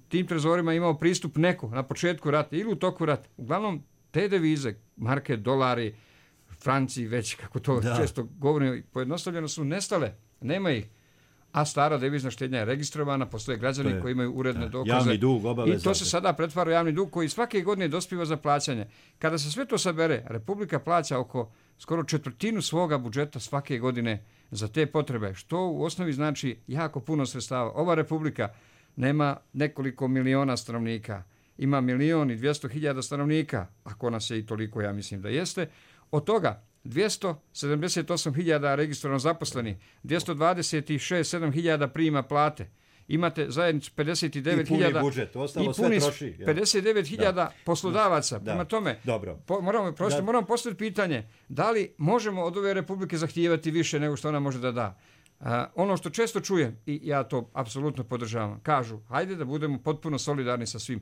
tim trezorima imao pristup neko na početku rata ili u toku rata? Uglavnom, te devize, marke, dolari, franci, već kako to često govorimo, pojednostavljeno su nestale. Nema ih. A stara devizna štednja je registrovana, postoje građani koji imaju uredne dokaze. Javni dug, obaveza. I to se sada pretvara u javni dug koji svake godine dospiva za plaćanje. Kada se sve to sabere, Republika plaća oko skoro 1/4 svoga budžeta svake godine za te potrebe, što u osnovi znači jako puno sredstava. Ova Republika nema nekoliko miliona stanovnika, ima 1.200.000 stanovnika, ako nas je i toliko, ja mislim da jeste. Od toga 278.000 registrovano zaposleni, 226.000 prima plate. Imate zajednicu 59.000 i puni budžet, ostalo sve troši. 59.000 poslodavaca. Prema tome, moramo postaviti pitanje da li možemo od ove Republike zahtijevati više nego što ona može da da. Ono što često čujem, i ja to apsolutno podržavam, kažu, hajde da budemo potpuno solidarni sa svim.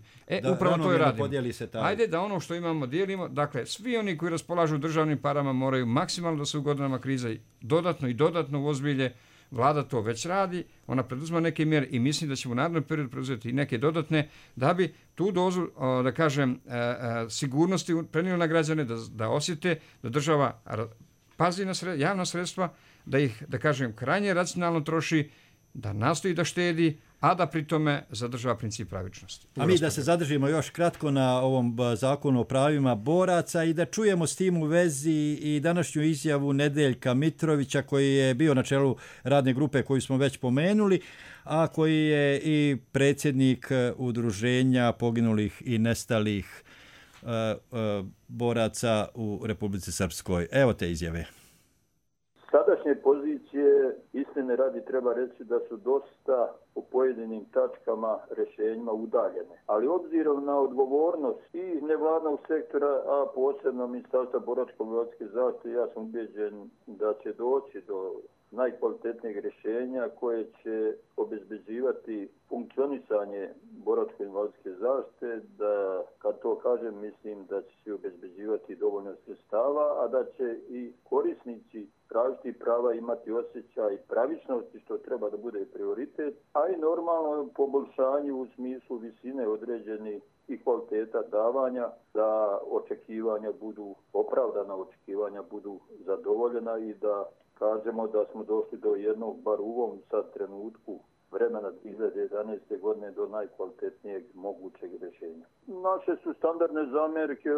Upravo to je radimo. Hajde da ono što imamo dijelimo. Dakle, svi oni koji raspolažu državnim parama moraju maksimalno da se u godinama krize dodatno uozbilje. Vlada to već radi, ona preduzima neke mjere i mislim da ćemo u narednom periodu preuzeti i neke dodatne da bi tu dozu, da kažem, sigurnosti prenijeli na građane, da osjete da država pazi na javna sredstva, da ih, da kažem, krajnje racionalno troši, da nastoji da štedi, a da pri tome zadržava princip pravičnosti. A mi da se zadržimo još kratko na ovom zakonu o pravima boraca i da čujemo s tim u vezi i današnju izjavu Nedeljka Mitrovića, koji je bio na čelu radne grupe koju smo već pomenuli, a koji je i predsjednik udruženja poginulih i nestalih boraca u Republici Srpskoj. Evo te izjave. Sadašnje pozicije, istine radi treba reći da su dosta u pojedinim tačkama rješenjima udaljene. Ali obzirom na odgovornost i nevladnog sektora, a posebno Ministarstva boračko-invalidske zaštite, ja sam ubeđen da će doći do najkvalitetnijeg rješenja koje će obezbeđivati funkcionisanje boračko-invalidske zaštite, da kad to kažem mislim da će se obezbeđivati dovoljno sredstava, a da će i korisnici tražiti prava imati osjećaj pravičnosti, što treba da bude prioritet, a i normalno poboljšanje u smislu visine određenih i kvaliteta davanja, da očekivanja budu opravdana, očekivanja budu zadovoljena i da kažemo da smo došli do jednog, bar u ovom sad trenutku vremena 2011. godine, do najkvalitetnijeg mogućeg rješenja. Naše su standardne zamjerke,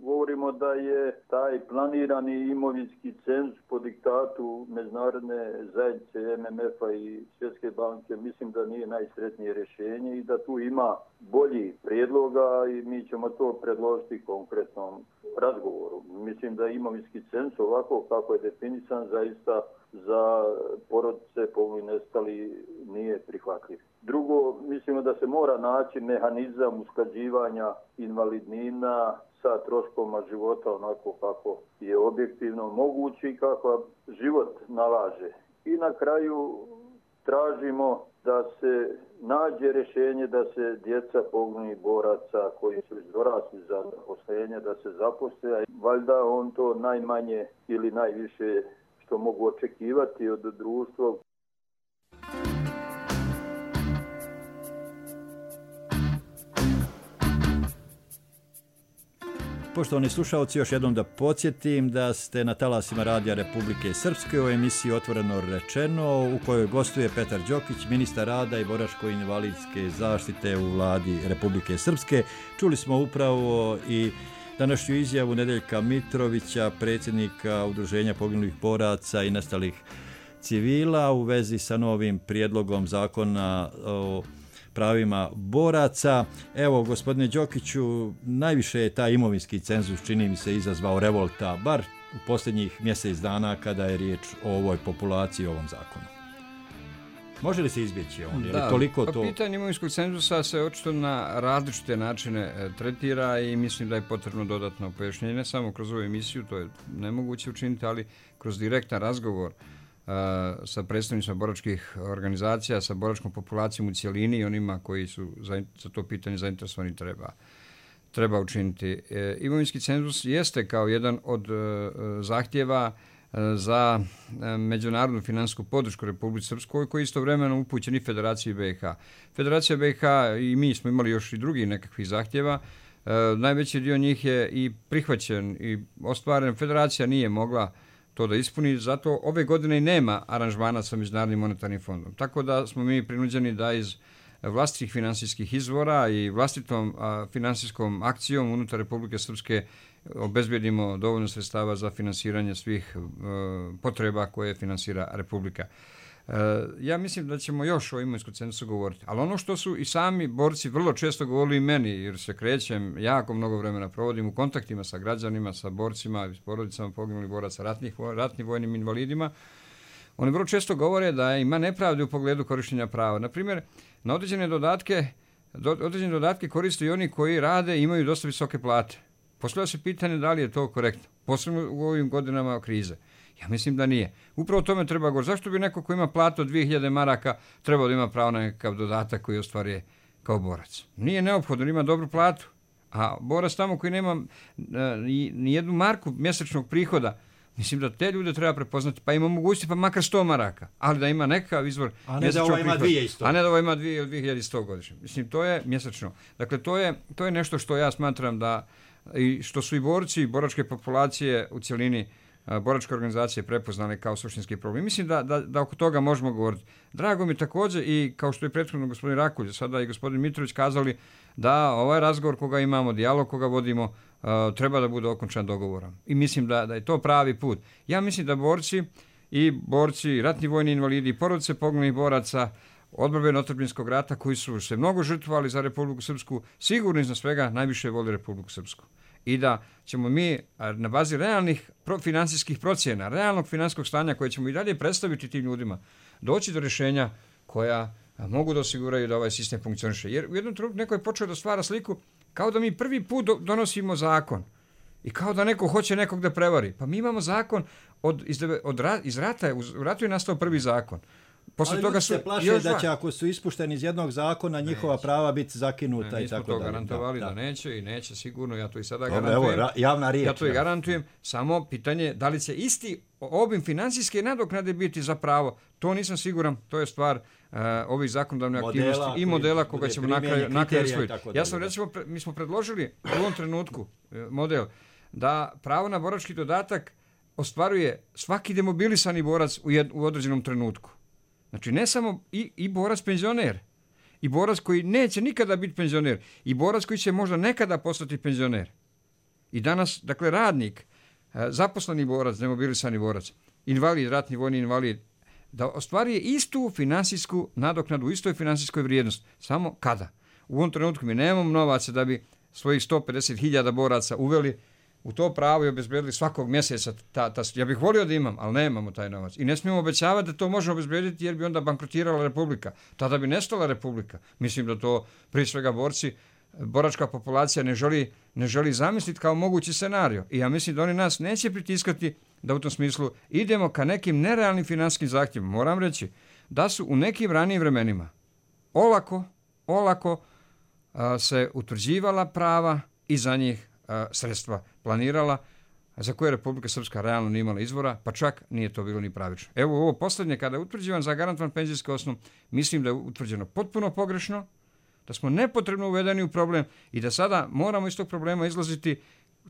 govorimo da je taj planirani imovinski cenzus po diktatu međunarodne zajednice MMF-a i Svjetske banke, mislim da nije najsretnije rješenje i da tu ima bolji prijedloga i mi ćemo to predložiti konkretnom razgovoru. Mislim da imovinski cenzus ovako kako je definisan zaista za porodice poginulih i nestalih nije prihvatljiv. Drugo, mislimo da se mora naći mehanizam usklađivanja invalidnina sa troškovima života onako kako je objektivno moguće i kako život nalaže. I na kraju tražimo da se nađe rješenje da se djeca poginulih boraca koji su dorasli za zaposlenje, da se zaposle. Valjda on to najmanje ili najviše što mogu očekivati od društva. Poštovani slušalci, još jednom da podsjetim da ste na talasima Radija Republike Srpske u emisiji Otvoreno rečeno, u kojoj gostuje Petar Đokić, ministar rada i boračko-invalidske zaštite u vladi Republike Srpske. Čuli smo upravo i današnju izjavu Nedeljka Mitrovića, predsjednika Udruženja poginulih boraca i nestalih civila u vezi sa novim prijedlogom zakona o pravima boraca. Evo, gospodine Đokiću, najviše je taj imovinski cenzus, čini mi se, izazvao revolta, bar u posljednjih mjesec dana kada je riječ o ovoj populaciji i ovom zakonu. Može li se izbjeći on? Da, toliko to... pitanje imovinskog cenzusa se očito na različite načine tretira i mislim da je potrebno dodatno pojašnjenje, ne samo kroz ovu emisiju, to je nemoguće učiniti, ali kroz direktan razgovor sa predstavnicima boračkih organizacija, sa boračkom populacijom u cijelini i onima koji su za to pitanje zainteresovani treba učiniti. Imovinski cenzus jeste kao jedan od zahtjeva za međunarodnu finansijsku podršku Republici Srpskoj, koji je istovremeno upućen i Federaciji BiH. Federacija BiH i mi smo imali još i drugi nekakvih zahtjeva. Najveći dio njih je i prihvaćen i ostvaren. Federacija nije mogla to da ispuni, zato ove godine i nema aranžmana sa Međunarodnim monetarnim fondom. Tako da smo mi prinuđeni da iz vlastitih finansijskih izvora i vlastitom finansijskom akcijom unutar Republike Srpske obezbedimo dovoljno sredstava za finansiranje svih potreba koje finansira Republika. Ja mislim da ćemo još o imovinskom cenzusu govoriti, ali ono što su i sami borci vrlo često govorili meni, jer se krećem, jako mnogo vremena provodim u kontaktima sa građanima, sa borcima, s porodicama poginulih boraca, ratnim vojnim invalidima, oni vrlo često govore da ima nepravde u pogledu korištenja prava. Naprimjer, na određene dodatke koriste i oni koji rade i imaju dosta visoke plate. Postavlja se pitanje da li je to korektno, posebno u ovim godinama krize. Ja mislim da nije. Upravo o tome treba govoriti. Zašto bi neko ko ima platu od 2000 maraka trebao da ima pravo na nekakav dodatak koji ostvaruje kao borac? Nije neophodno, ima dobru platu. A borac tamo koji nema ni jednu marku mjesečnog prihoda, mislim da te ljude treba prepoznati, pa ima mogućnosti pa makar 100 maraka, ali da ima nekakav izvor mjesečnog prihoda. A ne da ovo ima 2100 godišnje. Mislim, to je mjesečno. Dakle, to je nešto što ja smatram da, i što su i borci i boračke populacije u cjelini, boračke organizacije prepoznale kao suštinski problem. Mislim da oko toga možemo govoriti. Drago mi također i kao što je prethodno gospodin Rakulj, sada i gospodin Mitrović kazali da ovaj razgovor koga imamo, dijalog koga vodimo, treba da bude okončan dogovorom. I mislim da je to pravi put. Ja mislim da borci, ratni vojni invalidi i porodice poginulih boraca odbrane otadžbinskog rata koji su se mnogo žrtvovali za Republiku Srpsku, sigurno iznad svega najviše voli Republiku Srpsku. I da ćemo mi na bazi realnih finansijskih procjena, realnog finansijskog stanja koje ćemo i dalje predstaviti tim ljudima, doći do rješenja koja mogu da osiguraju da ovaj sistem funkcioniše. Jer u jednom trenutku neko je počeo da stvara sliku kao da mi prvi put donosimo zakon i kao da neko hoće nekog da prevari. Pa mi imamo zakon iz rata, u ratu je nastao prvi zakon. Ali ljudi se plaše da će ako su ispušteni iz jednog zakona njihova prava biti zakinuta i tako dalje. Mi smo to garantovali da neće i neće sigurno, ja to i sada garantujem. Evo, javna riječ. Ja to i garantujem, samo pitanje da li će isti obim financijske nadoknade biti za pravo, to nisam siguran, to je stvar ovih zakonodavnih aktivnosti i modela koga ćemo na kraju usvojiti. Ja sam recimo, mi smo predložili u ovom trenutku model da pravo na borački dodatak ostvaruje svaki demobilisani borac u određenom trenutku. Znači, ne samo i borac penzioner, i borac koji neće nikada biti penzioner, i borac koji će možda nekada postati penzioner. I danas, dakle, radnik, zaposleni borac, demobilisani borac, invalid, ratni vojni invalid, da ostvaruje istu finansijsku nadoknadu, istoj finansijskoj vrijednosti. Samo kada? U ovom trenutku mi nemamo novaca da bi svojih 150.000 boraca uveli u to pravo i obezbedili svakog mjeseca. Ja bih volio da imam, ali nemamo taj novac. I ne smijemo obećavati da to možemo obezbediti jer bi onda bankrotirala Republika. Tada bi nestala Republika. Mislim da to prije svega borci, boračka populacija ne želi zamisliti kao mogući scenario. I ja mislim da oni nas neće pritiskati da u tom smislu idemo ka nekim nerealnim finansijskim zahtjevima. Moram reći da su u nekim ranijim vremenima olako se utvrđivala prava i za njih sredstva planirala, za koje Republika Srpska realno nije imala izvora, pa čak nije to bilo ni pravično. Evo ovo posljednje, kada je utvrđivan zagarantovan penzijski osnov, mislim da je utvrđeno potpuno pogrešno, da smo nepotrebno uvedeni u problem i da sada moramo iz tog problema izlaziti.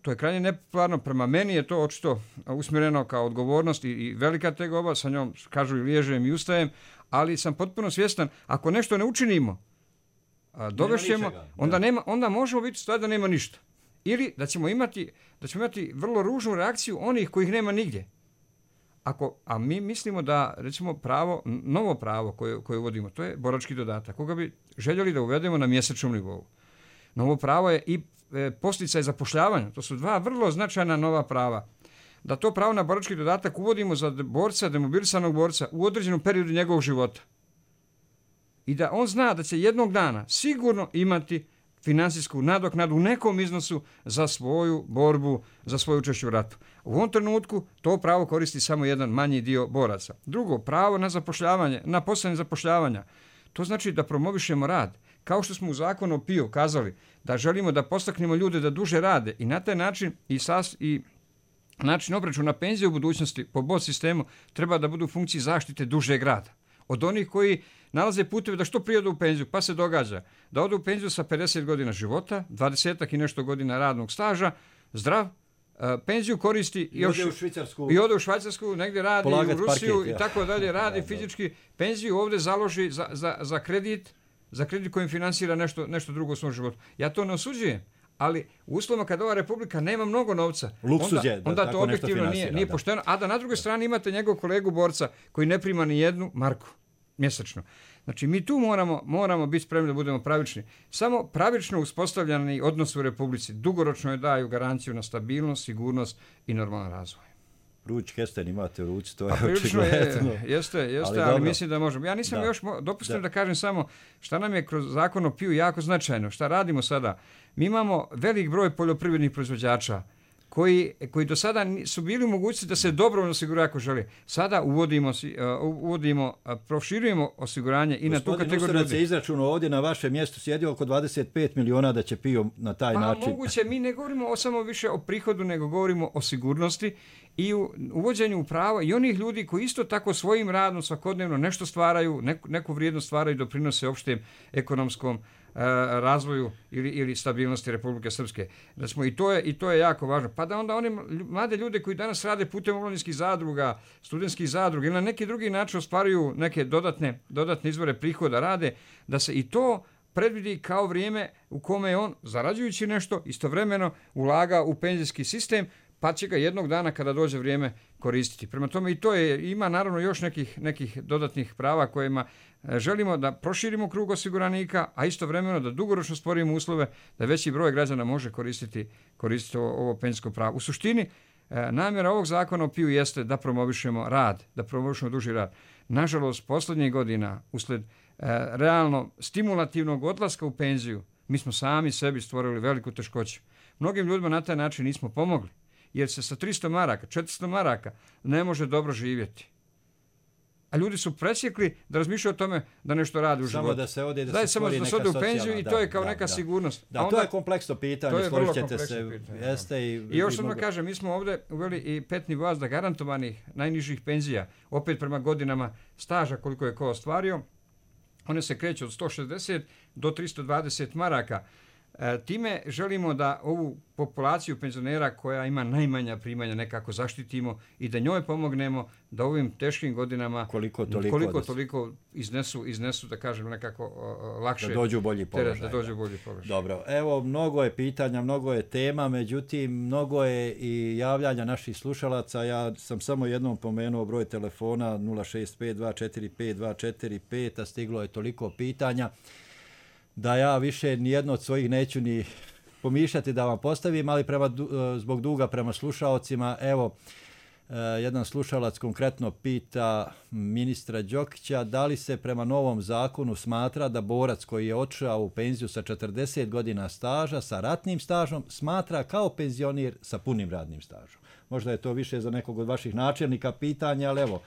To je krajnje nepopularno, prema meni je to očito usmjereno kao odgovornost i velika tegoba, sa njom kažu i liježem i ustajem, ali sam potpuno svjestan, ako nešto ne učinimo, dovešćemo, onda možemo biti stvar da nema ništa. Ili da ćemo imati vrlo ružnu reakciju onih kojih nema nigdje. A mi mislimo da, recimo, novo pravo koje uvodimo, to je borački dodatak, koga bi željeli da uvedemo na mjesečnom nivou. Novo pravo je i posticaj zapošljavanja. To su dva vrlo značajna nova prava. Da to pravo na borački dodatak uvodimo za borca, demobilisanog borca u određenom periodu njegovog života. I da on zna da će jednog dana sigurno imati financijsku nadoknadu u nekom iznosu za svoju borbu, za svoje učešće u ratu. U ovom trenutku to pravo koristi samo jedan manji dio boraca. Drugo, pravo na zapošljavanje, na posebne zapošljavanja. To znači da promovišemo rad. Kao što smo u zakonu o PIO kazali da želimo da postaknemo ljude da duže rade i na taj način i način obračuna penzije u budućnosti po BOD sistemu treba da budu u funkciji zaštite dužeg rada. Od onih koji nalaze puteve da što prije odu u penziju, pa se događa da odu u penziju sa 50 godina života, 20 i nešto godina radnog staža, zdrav, penziju koristi i ode u Švajcarsku, negdje radi u Rusiju i tako dalje, radi fizički, penziju ovdje založi za kredit kojim finansira nešto drugo u svom životu. Ja to ne osuđujem, ali u uslovima kada ova republika nema mnogo novca, onda to objektivno nije pošteno, a da na drugoj strani imate njegov kolegu borca koji ne prima ni jednu marku mjesečno. Znači, mi tu moramo biti spremni da budemo pravični. Samo pravično uspostavljeni odnos u republici dugoročno je daju garanciju na stabilnost, sigurnost i normalan razvoj. Ruč kesten imate u ruci, to je očigledno. Jeste, ali mislim da možemo. Ja nisam još dopustim da kažem samo šta nam je kroz zakon o PIO jako značajno. Šta radimo sada? Mi imamo velik broj poljoprivrednih proizvođača koji do sada su bili u mogućnosti da se dobrovoljno osiguraju ako žele. Sada proširujemo osiguranje i na tu kategoriju. Gospodin Ustarac je izračunao ovdje na vašem mjestu sjedi oko 25 miliona da će PIO na taj način. Moguće, mi ne govorimo samo više o prihodu, nego govorimo o sigurnosti i u uvođenju prava i onih ljudi koji isto tako svojim radom svakodnevno nešto stvaraju, neku vrijednost stvaraju i doprinose opštem ekonomskom razvoju ili stabilnosti Republike Srpske. I to je jako važno. Pa da onda one mlade ljude koji danas rade putem omladinskih zadruga, studentskih zadruga ili na neki drugi način ostvaruju neke dodatne izvore prihoda rade, da se i to predvidi kao vrijeme u kome je on, zarađujući nešto, istovremeno ulaga u penzijski sistem, pa će ga jednog dana kada dođe vrijeme koristiti. Prema tome i to ima naravno još nekih dodatnih prava kojima želimo da proširimo krug osiguranika, a istovremeno da dugoročno stvorimo uslove da veći broj građana može koristiti ovo penzijsko pravo. U suštini, namjera ovog zakona o PIO jeste da promovišemo rad, da promovišemo duži rad. Nažalost, posljednjih godina, usled realno stimulativnog odlaska u penziju, mi smo sami sebi stvorili veliku teškoću. Mnogim ljudima na taj način nismo pomogli, jer se sa 300 maraka, 400 maraka ne može dobro živjeti. A ljudi su presjekli da razmišljaju o tome da nešto radi u životu. Samo da se ode da se stvori neka socijalna. U penziju i to je kao neka sigurnost. Da, to je kompleksno pitanje, složit ćete se. I još samo kažem, mi smo ovdje uveli i 5 nivoa garantovanih najnižih penzija, opet prema godinama staža koliko je ko ostvario. One se kreću od 160 do 320 maraka. Time želimo da ovu populaciju penzionera koja ima najmanja primanja nekako zaštitimo i da njoj pomognemo da ovim teškim godinama koliko toliko iznesu da kažem nekako lakše da dođu u bolji položaj. Dobro, evo mnogo je pitanja, mnogo je tema, međutim mnogo je i javljanja naših slušalaca. Ja sam samo jednom pomenuo broj telefona 065245245, a stiglo je toliko pitanja da ja više nijedno od svojih neću ni pomišljati da vam postavim, ali zbog duga prema slušalcima, evo, jedan slušalac konkretno pita ministra Đokića da li se prema novom zakonu smatra da borac koji je otišao u penziju sa 40 godina staža, sa ratnim stažom, smatra kao penzioner sa punim radnim stažom. Možda je to više za nekog od vaših načelnika pitanja, ali evo.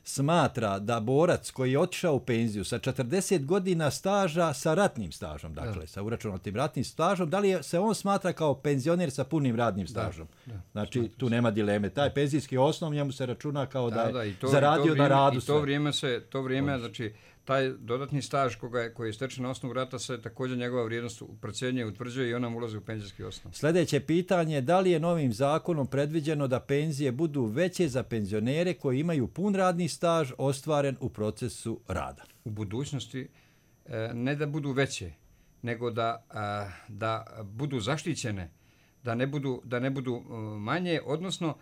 smatra da borac koji je otišao u penziju sa 40 godina staža sa ratnim stažom, dakle sa uračunatim ratnim stažom, da li se on smatra kao penzioner sa punim radnim stažom? Znači tu nema dileme. Taj penzijski osnov njemu se računa kao da je zaradio na radu. I to vrijeme, znači taj dodatni staž koji je stečen na osnovu rata se također njegova vrijednost procjenjuje, utvrđuje i ona mu ulazi u penzijski osnov. Sljedeće pitanje, da li je novim zakonom predviđeno da penzije budu veće za penzionere koji imaju pun radni staž ostvaren u procesu rada? U budućnosti ne da budu veće, nego da budu zaštićene, da ne budu manje, odnosno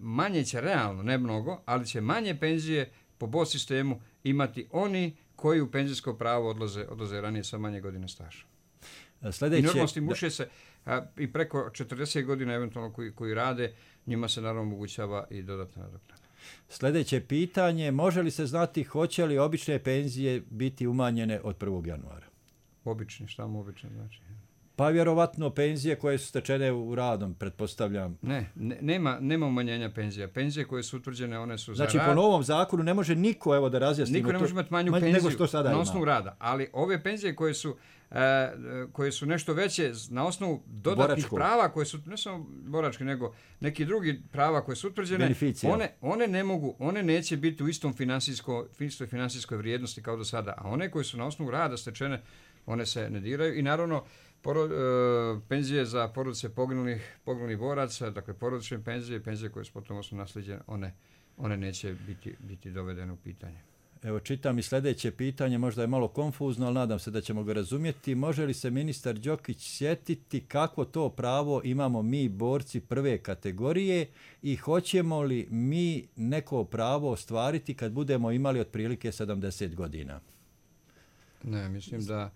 manje će realno, ne mnogo, ali će manje penzije po BOS sistemu imati oni koji u penzijsko pravo odlaze ranije sa manje godine staža. I normalno stimuliše se i preko 40 godina eventualno koji rade, njima se naravno omogućava i dodatna nadoknada. Sljedeće pitanje, može li se znati hoće li obične penzije biti umanjene od 1. januara? Obični, šta mu obično znači? Pa vjerovatno penzije koje su stečene u radom, pretpostavljam. Nema umanjenja penzija. Penzije koje su utvrđene, one su znači, za rad. Znači, po novom zakonu ne može niko, evo da razjasnimo, niko ne može imati manju penziju na osnovu ima. Rada. Ali ove penzije koje su nešto veće na osnovu dodatnih prava, koje su ne samo boračke, nego neki drugi prava koje su utvrđene, one ne mogu, one neće biti u istoj finansijskoj vrijednosti kao do sada. A one koje su na osnovu rada stečene, one se ne diraju i naravno penzije za porodice poginulih boraca, dakle porodične penzije koje su potom naslijeđene, one neće biti dovedene u pitanje. Evo čitam i sljedeće pitanje, možda je malo konfuzno, ali nadam se da ćemo ga razumjeti. Može li se ministar Đokić sjetiti kako to pravo imamo mi borci prve kategorije i hoćemo li mi neko pravo ostvariti kad budemo imali otprilike 70 godina? Ne, mislim da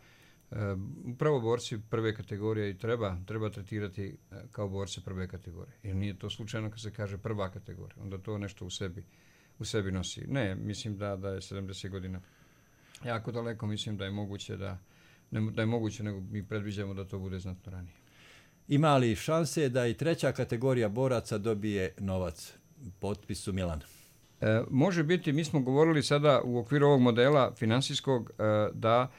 upravo borci prve kategorije i treba tretirati kao borce prve kategorije. Jer nije to slučajno kad se kaže prva kategorija. Onda to nešto u sebi nosi. Ne, mislim da je 70 godina jako daleko. Mislim da je moguće nego mi predviđamo da to bude znatno ranije. Ima li šanse da i treća kategorija boraca dobije novac? Potpisu Milana. Može biti, mi smo govorili sada u okviru ovog modela finansijskog da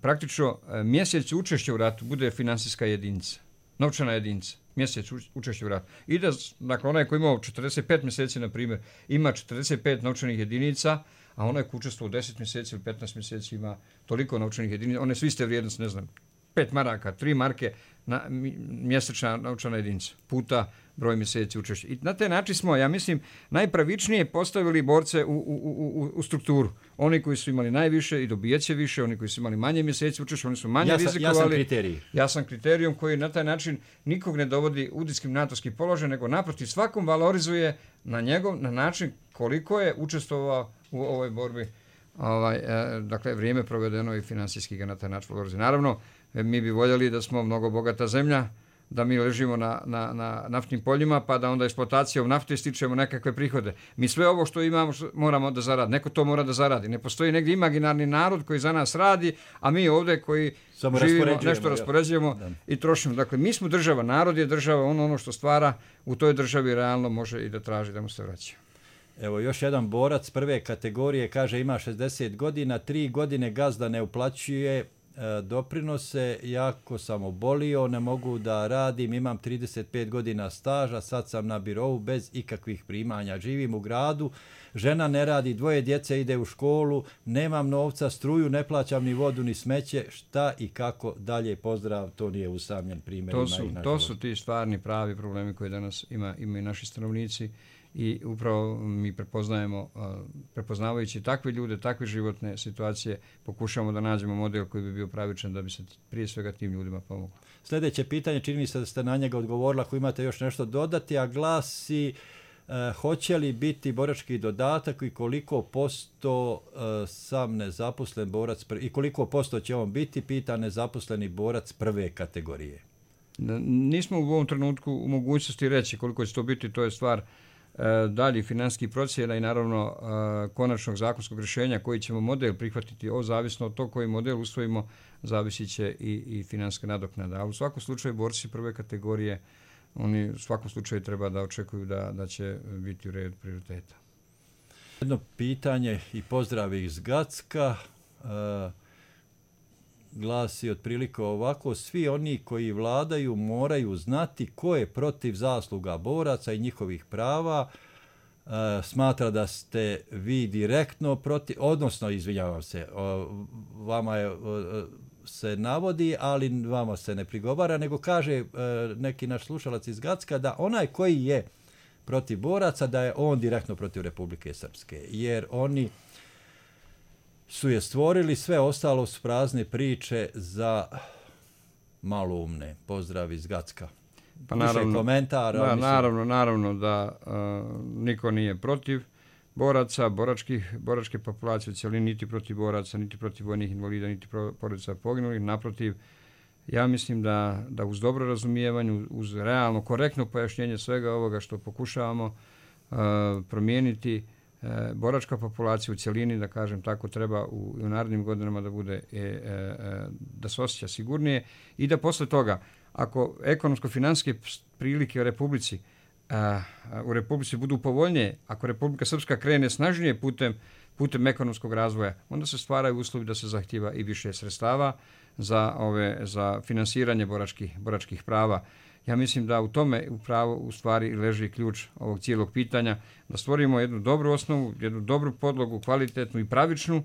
praktično mjesec učešća u ratu bude finansijska jedinica, novčana jedinica, mjesec učešća u ratu. I da, dakle, onaj koji imao 45 mjeseci, na primjer, ima 45 novčanih jedinica, a onaj koji učestvo u 10 mjeseci ili 15 mjeseci ima toliko novčanih jedinica, one su iste vrijednosti, ne znam, 5 maraka, 3 marke, mjesečna novčana jedinica, puta broj mjeseci učešća. I na taj način smo, ja mislim, najpravičnije postavili borce u strukturu. Oni koji su imali najviše i dobijeće više, oni koji su imali manje mjeseci učešća, oni su manje rizikovali. Jasan kriterijum koji na taj način nikog ne dovodi u diskriminatorski položaj, nego naprotiv svakom valorizuje na način koliko je učestvovao u ovoj borbi. Dakle, vrijeme provedeno i finansijski ga na taj način valorizuje. Naravno, mi bi voljeli da smo mnogo bogata zemlja, da mi ležimo na naftnim poljima, pa da onda eksploatacijom nafte stičemo nekakve prihode. Mi sve ovo što imamo moramo da zaradi. Neko to mora da zaradi. Ne postoji negdje imaginarni narod koji za nas radi, a mi ovdje koji živimo, nešto raspoređujemo i trošimo. Dakle, mi smo država, narod je država, ono što stvara u toj državi realno može i da traži da mu se vraća. Evo, još jedan borac prve kategorije, kaže ima 60 godina, 3 godine gazda ne uplaćuje doprinose, jako sam obolio, ne mogu da radim, imam 35 godina staža, sad sam na birovu bez ikakvih primanja, živim u gradu, žena ne radi, 2 djece ide u školu, nemam novca, struju, ne plaćam ni vodu ni smeće, šta i kako dalje, pozdrav, to nije usamljen primjer. To su ti stvarni pravi problemi koje danas imaju naši stanovnici. I upravo mi prepoznavajući takve ljude, takve životne situacije, pokušamo da nađemo model koji bi bio pravičan da bi se prije svega tim ljudima pomoglo. Sljedeće pitanje, čini mi se da ste na njega odgovorili, ako imate još nešto dodati, a glasi hoće li biti borački dodatak i koliko posto sam nezaposlen borac i koliko posto će on biti, pita nezaposleni borac prve kategorije. Nismo u ovom trenutku u mogućnosti reći koliko će to biti, to je stvar dalje financijskih procjena i naravno konačnog zakonskog rješenja koji ćemo model prihvatiti, zavisno od tog koji model usvojimo, zavisit će i financijska nadoknada. Ali u svakom slučaju borci prve kategorije, oni u svakom slučaju treba da očekuju da će biti u redu prioriteta. Jedno pitanje i pozdrav iz Gacka glasi otprilike ovako: svi oni koji vladaju moraju znati ko je protiv zasluga boraca i njihovih prava. Smatra da ste vi direktno protiv, odnosno, izvinjavam se, vama se navodi, ali vama se ne prigovara, nego kaže neki naš slušalac iz Gacka da onaj koji je protiv boraca, da je on direktno protiv Republike Srpske, jer oni su je stvorili, sve ostalo su prazne priče za maloumne. Pozdrav iz Gacka. Pa naravno, komentar, da, naravno da niko nije protiv boraca, boračke populacije u cjelini, niti protiv boraca, niti protiv vojnih invalida, niti porodica poginulih. Naprotiv, ja mislim da uz dobro razumijevanje, uz realno, korektno pojašnjenje svega ovoga što pokušavamo promijeniti, boračka populacija u cjelini, da kažem tako, treba u narednim godinama da bude, da se osjeća sigurnije i da posle toga, ako ekonomsko-financijske prilike u Republici budu povoljnije, ako Republika Srpska krene snažnije putem ekonomskog razvoja, onda se stvaraju uslovi da se zahtjeva i više sredstava za finansiranje boračkih prava. Ja mislim da u tome u stvari leži ključ ovog cijelog pitanja, da stvorimo jednu dobru osnovu, jednu dobru podlogu, kvalitetnu i pravičnu,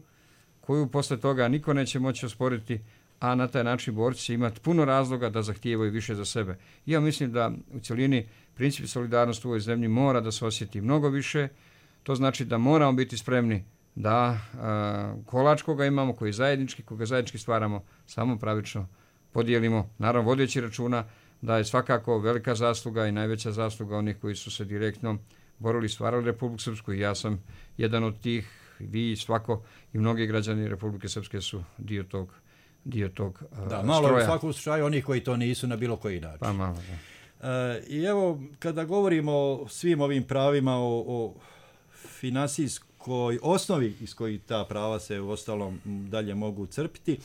koju posle toga niko neće moći osporiti, a na taj način borci će imati puno razloga da zahtijevaju više za sebe. Ja mislim da u cjelini princip solidarnosti u ovoj zemlji mora da se osjeti mnogo više. To znači da moramo biti spremni da kolač koga imamo, koga zajednički stvaramo, samo pravično podijelimo, naravno vodeći računa da je svakako velika zasluga i najveća zasluga onih koji su se direktno borili i stvarali Republiku Srpsku, i ja sam jedan od tih, vi, svako i mnogi građani Republike Srpske su dio tog da, malo stroja. U svakom slučaju onih koji to nisu na bilo koji način. Pa malo, da. I evo, kada govorimo o svim ovim pravima, o finansijskoj osnovi iz kojih ta prava se u ostalom dalje mogu crpiti,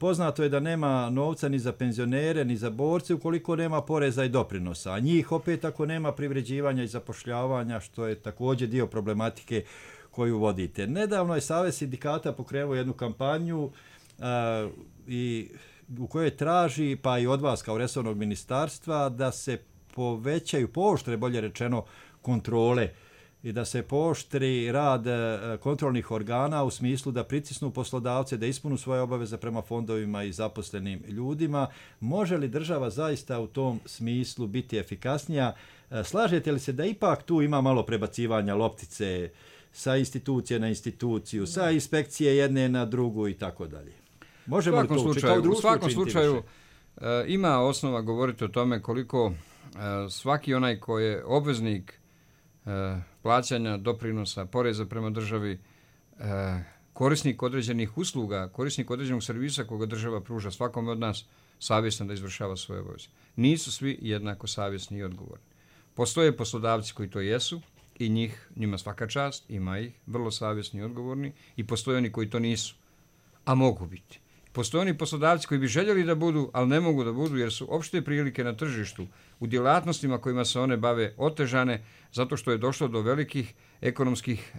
poznato je da nema novca ni za penzionere, ni za borce ukoliko nema poreza i doprinosa. A njih opet ako nema privređivanja i zapošljavanja, što je također dio problematike koju vodite. Nedavno je Savez sindikata pokrenuo jednu kampanju i u kojoj traži, pa i od vas kao resornog ministarstva, da se pooštre, bolje rečeno, kontrole i da se pooštri rad kontrolnih organa u smislu da pritisnu poslodavce, da ispunu svoje obaveze prema fondovima i zaposlenim ljudima. Može li država zaista u tom smislu biti efikasnija? Slažete li se da ipak tu ima malo prebacivanja loptice sa institucije na instituciju, sa inspekcije jedne na drugu i tako dalje? Možemo li to u svakom slučaju ima osnova govoriti o tome koliko svaki onaj ko je obveznik plaćanja doprinosa, poreza prema državi, korisnik određenih usluga, korisnik određenog servisa koga država pruža svakome od nas, savjesno da izvršava svoje obaveze. Nisu svi jednako savjesni i odgovorni. Postoje poslodavci koji to jesu i njima svaka čast, ima ih, vrlo savjesni i odgovorni, i postoje oni koji to nisu, a mogu biti. Postoje oni poslodavci koji bi željeli da budu, ali ne mogu da budu jer su opšte prilike na tržištu u djelatnostima kojima se one bave otežane zato što je došlo do velikih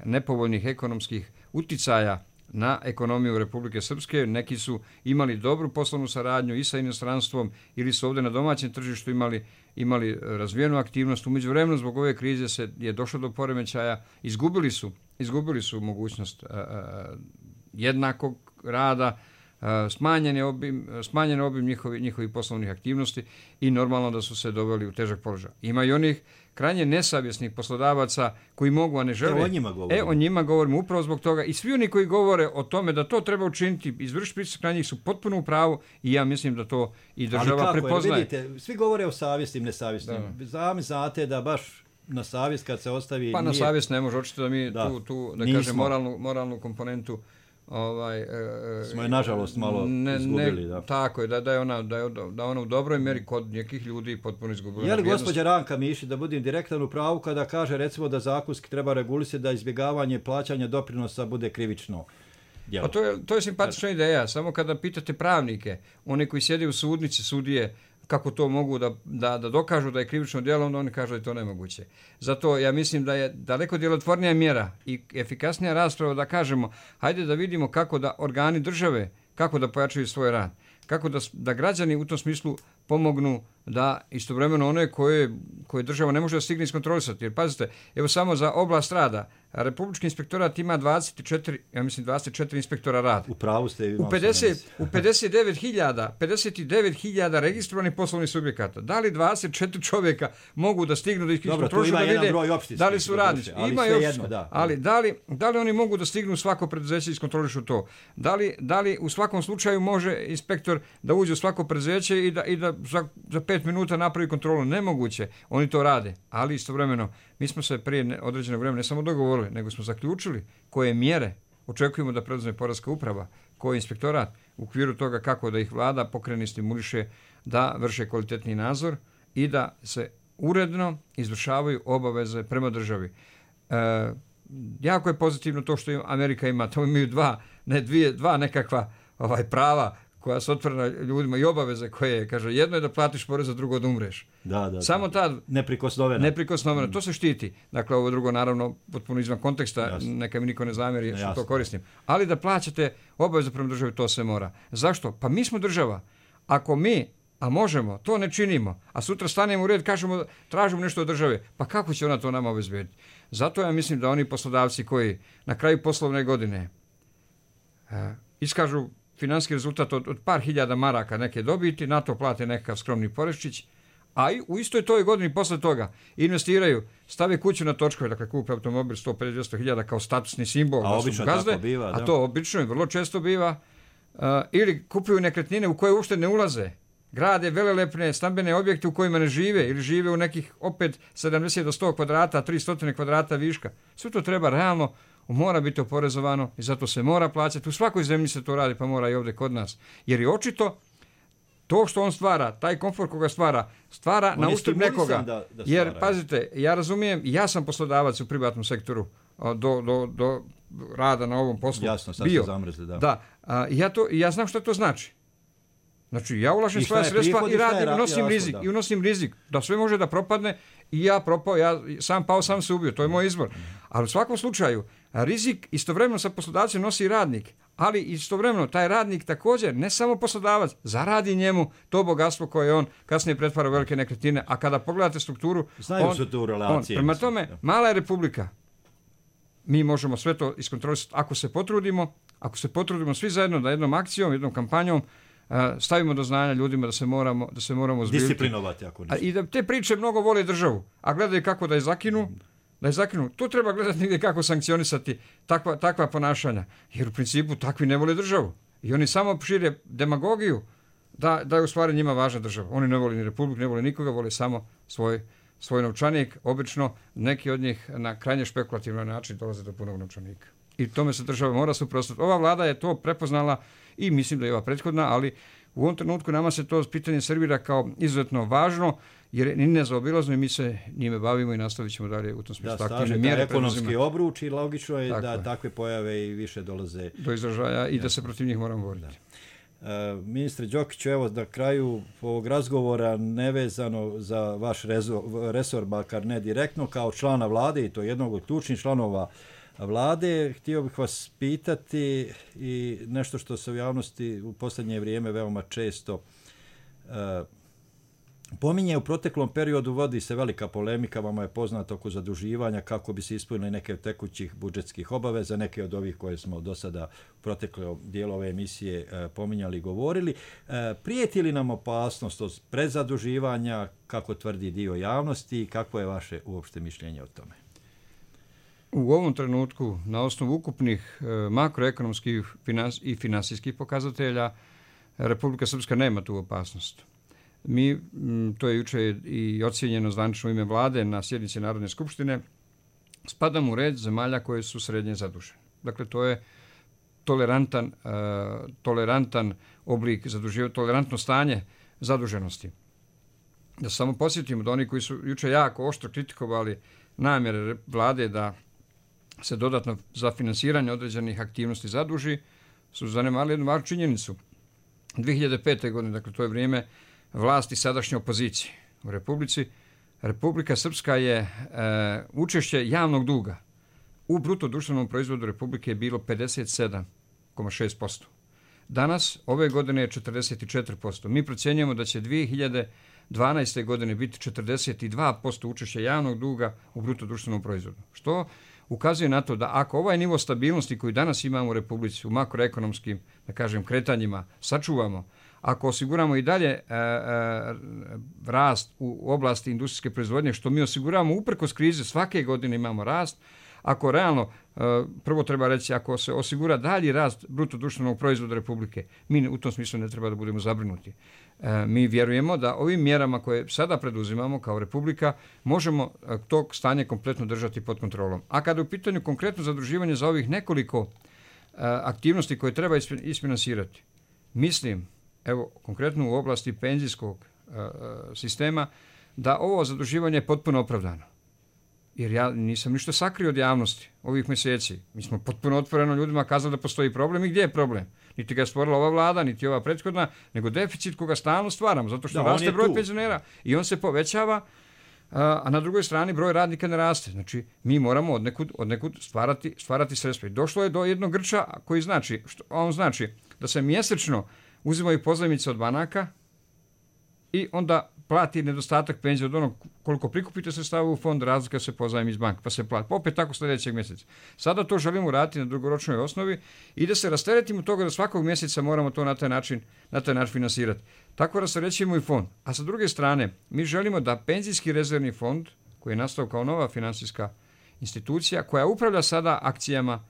nepovoljnih ekonomskih uticaja na ekonomiju Republike Srpske. Neki su imali dobru poslovnu saradnju i sa inostranstvom ili su ovdje na domaćem tržištu imali razvijenu aktivnost. U međuvremenu zbog ove krize je došlo do poremećaja, izgubili su mogućnost jednakog rada, smanjen obim njihovih poslovnih aktivnosti i normalno da su se doveli u težak položaj. Ima i onih krajnje nesavjesnih poslodavaca koji mogu, a ne žele. O njima govorimo upravo zbog toga, i svi oni koji govore o tome da to treba učiniti, izvršiti pritisak na njih, su potpuno u pravu, i ja mislim da to i država prepoznaje. Ali kako, vidite, svi govore o savjesnim, nesavjesnim. Sami znate da baš na savjest kad se ostavi... Pa na savjest ne može, očito da mi tu da kažem, moralnu komponentu smo je nažalost malo izgubili. Da. Tako je, da je ona u dobroj mjeri kod nekih ljudi potpuno izgubila. Je li gospođa Ranka Mišić, da budem direktan u pravu, kada kaže recimo da zakonski treba regulisati da izbjegavanje plaćanja doprinosa bude krivično djelo? Pa to je simpatična ideja, samo kada pitate pravnike, oni koji sjede u sudnici, sudije, kako to mogu da dokažu da je krivično djelo, onda oni kažu da je to nemoguće. Zato ja mislim da je daleko djelotvornija mjera i efikasnija rasprava da kažemo, hajde da vidimo kako da organi države, kako da pojačaju svoj rad, kako da građani u tom smislu pomognu da istovremeno one koje država ne može da stigne iskontrolisati. Jer pazite, evo samo za oblast rada, Republički inspektorat ima 24 inspektora rada. U pravu ste. U 59.000 registrovanih poslovnih subjekata. Da li 24 čovjeka mogu da stignu da ih iskontrolišu, da vide da li su radnici? Ima i opštinski. Ali da li oni mogu da stignu svako preduzeće i iskontrolišu to? Da li u svakom slučaju može inspektor da uđe u svako preduzeće i da za 5 minuta napravi kontrolu? Nemoguće. Oni to rade. Ali istovremeno mi smo se prije određenog vremena ne samo dogovorili, nego smo zaključili koje mjere očekujemo da preduzme Poreska uprava, koji inspektorat u okviru toga kako da ih vlada pokrene i stimuliše da vrše kvalitetni nadzor i da se uredno izvršavaju obaveze prema državi. Jako je pozitivno to što Amerika ima, to imaju dva nekakva prava koja su otvorena ljudima i obaveze koje, kaže, jedno je da platiš porez, a drugo da umreš. Samo ta neprikosnovena. To se štiti. Dakle, ovo drugo, naravno, potpuno izvan konteksta, jasno. Neka mi niko ne zamjeri što to koristim. Ali da plaćate obaveze prema državi, to se mora. Zašto? Pa mi smo država. Ako mi, a možemo, to ne činimo, a sutra stanemo u red, kažemo, tražimo nešto od države, pa kako će ona to nama obezbediti? Zato ja mislim da oni poslodavci koji na kraju poslovne godine iskažu financijski rezultat od par hiljada maraka neke dobiti, na to plate nekakav skromni poreščić, a i u istoj toj godini posle toga investiraju, stave kuću na točkove, dakle kupe automobil 150-200 hiljada kao statusni simbol, a obično gazde, tako biva, a to obično i vrlo često biva, ili kupuju nekretnine u koje uopšte ne ulaze, grade velelepne stambene objekte u kojima ne žive ili žive u nekih opet 70 do 100 kvadrata, 300 kvadrata viška. Sve to treba realno, mora biti oporezovano i zato se mora plaćati. U svakoj zemlji se to radi, pa mora i ovdje kod nas. Jer je očito to što on stvara, taj komfort koga stvara na uštrb nekoga. Jer, pazite, ja razumijem, ja sam poslodavac u privatnom sektoru do rada na ovom poslu. Jasno, sad ste zamrzli, da. Ja znam što to znači. Znači, ja ulažem svoja sredstva i radim i unosim rizik. Da sve može da propadne i ja sam pao, sam se ubio. To je moj izbor. Ali u svakom slučaju, rizik istovremeno sa poslodavcem nosi i radnik. Ali istovremeno taj radnik također, ne samo poslodavac, zaradi njemu to bogatstvo koje on kasnije pretvara u velike nekretnine. A kada pogledate strukturu... Znaju su tu relacije. Prema tome, mala je republika. Mi možemo sve to iskontrolisati ako se potrudimo svi zajedno da jednom akcijom, jednom kampanjom stavimo do znanja ljudima da se moramo zbirati. Disciplinovati ako ništa. I da te priče mnogo vole državu, a gledaju kako da je zakinu. Tu treba gledati negdje kako sankcionisati takva ponašanja. Jer u principu takvi ne vole državu. I oni samo šire demagogiju da je u stvari njima važna država. Oni ne vole ni republiku, ne vole nikoga, vole samo svoj novčanik. Obično neki od njih na krajnje špekulativan način dolaze do punog novčanika. I tome se država mora suprotstaviti. Ova vlada je to prepoznala i mislim da je ova prethodna, ali u ovom trenutku nama se to pitanje servira kao izuzetno važno, jer je nezaobilazno i mi se njime bavimo i nastavit ćemo dalje u tom smislu. Aktivne mjere ekonomski obruč i logično je da takve pojave i više dolaze do izražaja i da se protiv njih moramo boriti. Ministre Đokiću, evo na kraju ovog razgovora, nevezano za vaš resor, makar ne direktno, kao člana vlade i to jednog od ključnih članova vlade, htio bih vas pitati i nešto što se u javnosti u posljednje vrijeme veoma često pominje. U proteklom periodu vodi se velika polemika, vama je poznato, oko zaduživanja kako bi se ispunili neke od tekućih budžetskih obaveza, neke od ovih koje smo do sada u proteklom dijelu ove emisije pominjali i govorili. Prijeti li nam opasnost od prezaduživanja, kako tvrdi dio javnosti, i kako je vaše uopšte mišljenje o tome? U ovom trenutku, na osnovu ukupnih makroekonomskih i finansijskih pokazatelja, Republika Srpska nema tu opasnost. Mi, to je juče i ocijenjeno zvanično ime vlade na sjednici Narodne skupštine, spadamo u red zemalja koje su srednje zadužene. Dakle, to je tolerantan oblik zaduživanja, tolerantno stanje zaduženosti. Da samo posjetimo da oni koji su juče jako oštro kritikovali namjere vlade da se dodatno za finansiranje određenih aktivnosti zaduži, su zanemarili jednu važnu činjenicu. 2005. godine, dakle to je vrijeme vlasti sadašnje opozicije u Republici. Republika Srpska je učešće javnog duga u bruto društvenom proizvodu Republike je bilo 57,6%. Danas, ove godine je 44%. Mi procjenjujemo da će 2012. godine biti 42% učešća javnog duga u bruto društvenom proizvodu. Što ukazuje na to da ako ovaj nivo stabilnosti koji danas imamo u Republici u makroekonomskim, da kažem, kretanjima sačuvamo, ako osiguramo i dalje rast u oblasti industrijske proizvodnje, što mi osiguravamo uprkos krize, svake godine imamo rast, ako realno, prvo treba reći, ako se osigura dalji rast bruto društvenog proizvoda Republike, mi u tom smislu ne treba da budemo zabrinuti. Mi vjerujemo da ovim mjerama koje sada preduzimamo kao Republika možemo to stanje kompletno držati pod kontrolom. A kada je u pitanju konkretno zaduživanje za ovih nekoliko aktivnosti koje treba isfinansirati, mislim, evo konkretno u oblasti penzijskog sistema, da ovo zaduživanje je potpuno opravdano. Jer ja nisam ništa sakrio od javnosti ovih mjeseci. Mi smo potpuno otvoreno ljudima kazali da postoji problem i gdje je problem. Niti ga je stvorila ova vlada, niti ova prethodna, nego deficit koga stalno stvaramo, zato što raste broj penzionera i on se povećava, a na drugoj strani broj radnika ne raste. Znači, mi moramo od nekud stvarati sredstva. I došlo je do jednog grča koji znači, on znači da se mjesečno uzimaju pozajmice od banaka i onda plati nedostatak penzije od onog koliko prikupite sredstava u fond, razlika se pozajmi iz banka, pa se plati. Pa opet tako sljedećeg mjeseca. Sada to želimo raditi na dugoročnoj osnovi i da se rasteretimo toga da svakog mjeseca moramo to na taj način finansirati. Tako rasterećujemo i fond. A sa druge strane, mi želimo da penzijski rezervni fond, koji je nastao kao nova financijska institucija, koja upravlja sada akcijama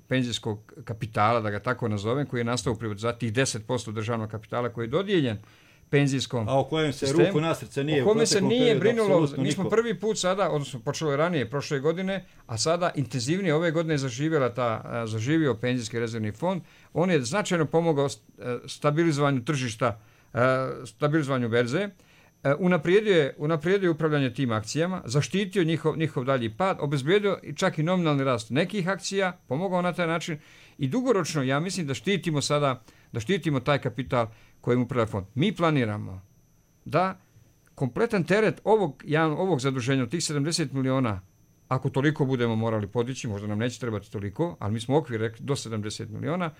penzijskog kapitala, da ga tako nazovem, koji je nastao u privatizaciji, tih 10% državnog kapitala koji je dodijeljen penzijskom a o kojem se sistemu, ruku na srce nije o kome se nije brinulo. Mi smo prvi put sada, odnosno počelo je ranije prošle godine, a sada intenzivnije ove godine zaživio penzijski rezervni fond. On je značajno pomogao stabilizovanju tržišta, stabilizovanju berze, unaprijedio upravljanje tim akcijama, zaštitio njihov dalji pad, obezbijedio čak i nominalni rast nekih akcija, pomogao na taj način i dugoročno ja mislim da štitimo taj kapital kojim upravlja fond. Mi planiramo da kompletan teret ovog zaduženja od tih 70 miliona, ako toliko budemo morali podići, možda nam neće trebati toliko, ali mi smo okvir rekli do 70 miliona,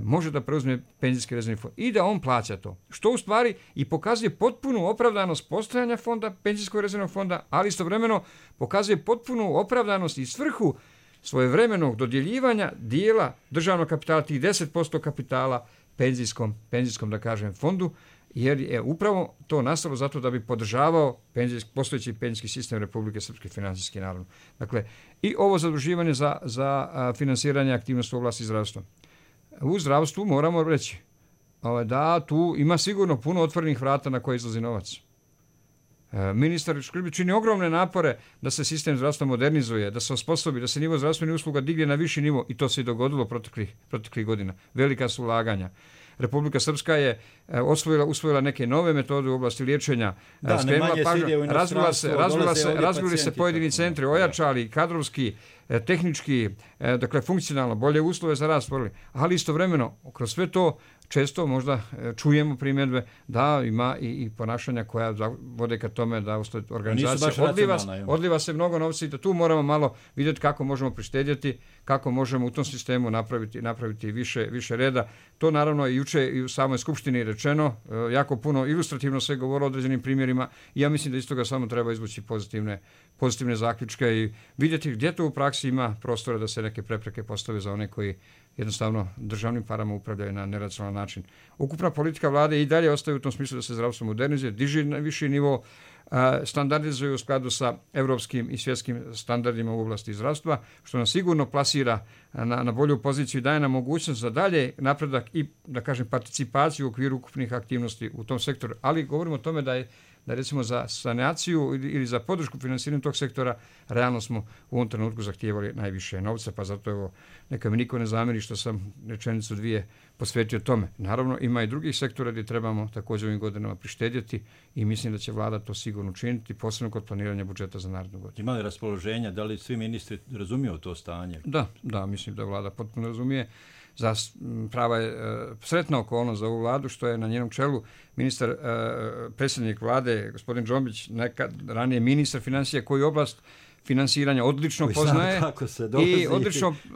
može da preuzme penzijski rezervni fond i da on plaća to. Što u stvari i pokazuje potpunu opravdanost postojanja fonda, penzijskog rezervnog fonda, ali istovremeno pokazuje potpunu opravdanost i svrhu svojevremenog dodjeljivanja dijela državnog kapitala, tih 10% kapitala penzijskom, da kažem, fondu, jer je upravo to nastalo zato da bi podržavao postojeći penzijski sistem Republike Srpske, financijski naravno. Dakle, i ovo zaduživanje za finansiranje aktivnosti u oblasti zdravstva. U zdravstvu moramo reći da tu ima sigurno puno otvorenih vrata na koje izlazi novac. Ministar Škrbić čini ogromne napore da se sistem zdravstva modernizuje, da se osposobi, da se nivo zdravstvenih usluga digne na viši nivo i to se i dogodilo proteklih godina. Velika su ulaganja. Republika Srpska je usvojila neke nove metode u oblasti liječenja, razvili se pojedini centri, ojačali kadrovski, tehnički, dakle funkcionalno, bolje uslove za rad stvorili, ali istovremeno kroz sve to često možda čujemo primjedbe da ima i ponašanja koja vode ka tome da organizacija odliva se mnogo novca i da tu moramo malo vidjeti kako možemo prištedjeti, kako možemo u tom sistemu napraviti više reda. To naravno i juče i u samoj skupštini rečeno, jako puno ilustrativno se govorilo o određenim primjerima i ja mislim da iz toga samo treba izvući pozitivne zaključke i vidjeti gdje to u praksi ima prostora da se neke prepreke postave za one koji jednostavno državnim parama upravljaju na neracionalan način. Ukupna politika vlade i dalje ostaje u tom smislu da se zdravstvo modernizuje, diže na viši nivo, standardizuje u skladu sa europskim i svjetskim standardima u oblasti zdravstva, što nas sigurno plasira na bolju poziciju i daje nam mogućnost za dalje napredak i, da kažem, participaciju u okviru ukupnih aktivnosti u tom sektoru. Ali govorimo o tome da recimo za sanaciju ili za podršku financiranju tog sektora realno smo u ovom trenutku zahtijevali najviše novca, pa zato evo neka mi niko ne zamjeri što sam rečenicu dvije posvetio tome. Naravno, ima i drugih sektora gdje trebamo također ovim godinama prištedjeti i mislim da će vlada to sigurno učiniti, posebno kod planiranja budžeta za narednu godinu. Ima li raspoloženja, da li svi ministri razumiju to stanje? Da, mislim da vlada potpuno razumije. prava je sretna okolnost za ovu vladu što je na njenom čelu ministar, predsjednik vlade, gospodin Džombić, nekad ranije ministar financija koji oblast finansiranja odlično poznaje i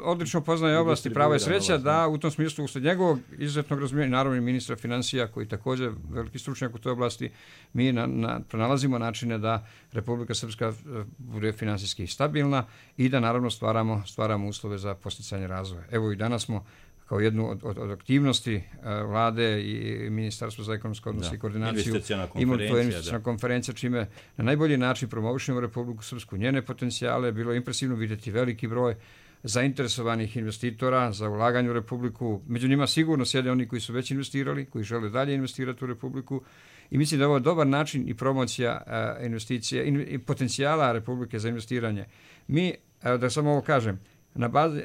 odlično poznaje oblasti prava i sreća da u tom smislu usled njegovog izuzetnog razumijevanja, naravno i ministra financija koji također veliki stručnjak u toj oblasti, mi pronalazimo načine da Republika Srpska bude finansijski stabilna i da naravno stvaramo uslove za posticanje razvoja. Evo i danas smo kao jednu od aktivnosti vlade i Ministarstva za ekonomske odnose i koordinaciju imali to investiciona konferencija, čime na najbolji način promovišemo Republiku Srpsku, njene potencijale. Bilo je impresivno vidjeti veliki broj zainteresovanih investitora za ulaganje u Republiku. Među njima sigurno sjede oni koji su već investirali, koji žele dalje investirati u Republiku. I mislim da je ovo dobar način i promocija investicija i potencijala Republike za investiranje. Mi, da samo ovo kažem,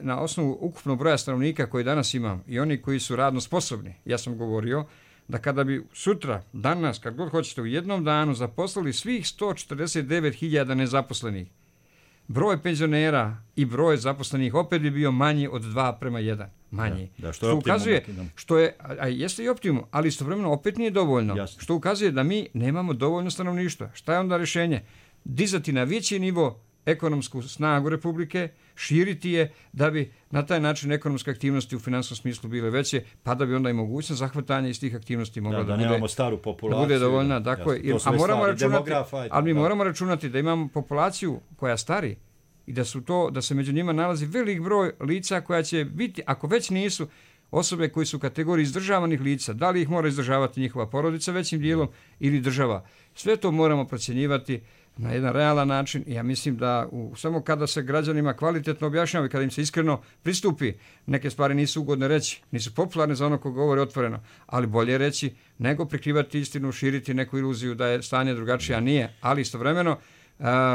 na osnovu ukupnog broja stanovnika koji danas imam i oni koji su radno sposobni, ja sam govorio da kada bi sutra, danas, kad god hoćete, u jednom danu zaposlili svih 149.000 nezaposlenih, broj penzionera i broj zaposlenih opet bi bio manji od 2:1. Manji. Što ukazuje, jeste i optimum, ali istovremeno opet nije dovoljno. Jasno. Što ukazuje da mi nemamo dovoljno stanovništva. Šta je onda rješenje? Dizati na veći nivo ekonomsku snagu Republike, širiti je da bi na taj način ekonomske aktivnosti u finansijskom smislu bile veće, pa da bi onda i mogućnost zahvatanja iz tih aktivnosti mogla da nemamo staru populaciju, da bude dovoljna. Ali mi moramo računati da imamo populaciju koja stari i da se među njima nalazi velik broj lica koja će biti, ako već nisu osobe koji su u kategoriji izdržavanih lica, da li ih mora izdržavati njihova porodica većim dijelom ili država. Sve to moramo procjenjivati na jedan realan način i ja mislim da samo kada se građanima kvalitetno objašnjava i kada im se iskreno pristupi, neke stvari nisu ugodne reći, nisu popularne za ono ko govori otvoreno, ali bolje reći nego prikrivati istinu, širiti neku iluziju da je stanje drugačije, a nije, ali istovremeno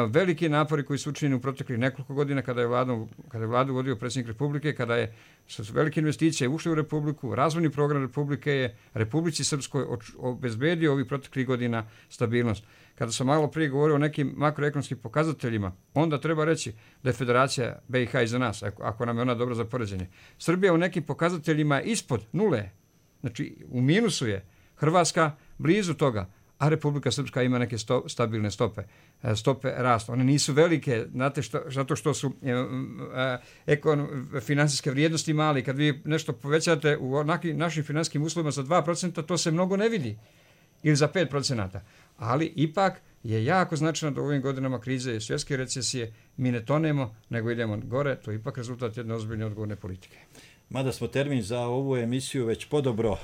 veliki napori koji su učinjeni u proteklih nekoliko godina kada je vladu vodio predsjednik Republike, kada je sa velike investicije ušli u Republiku, razvojni program Republike je Republici Srpskoj obezbedio ovih proteklih godina stabilnost. Kada sam malo prije govorio o nekim makroekonomskim pokazateljima, onda treba reći da je Federacija BiH iza nas, ako nam je ona dobra za poređenje. Srbija u nekim pokazateljima ispod nule, znači u minusu je, Hrvatska blizu toga, a Republika Srpska ima neke stabilne stope rasta. One nisu velike, znate, zato što su finansijske vrijednosti mali. Kad vi nešto povećate u našim finansijskim uslovima za 2%, to se mnogo ne vidi. Ili za 5%. Ali ipak je jako značajno da u ovim godinama krize i svjetske recesije mi ne tonemo, nego idemo gore. To je ipak rezultat jedne ozbiljne odgovorne politike. Mada smo termin za ovu emisiju već podobro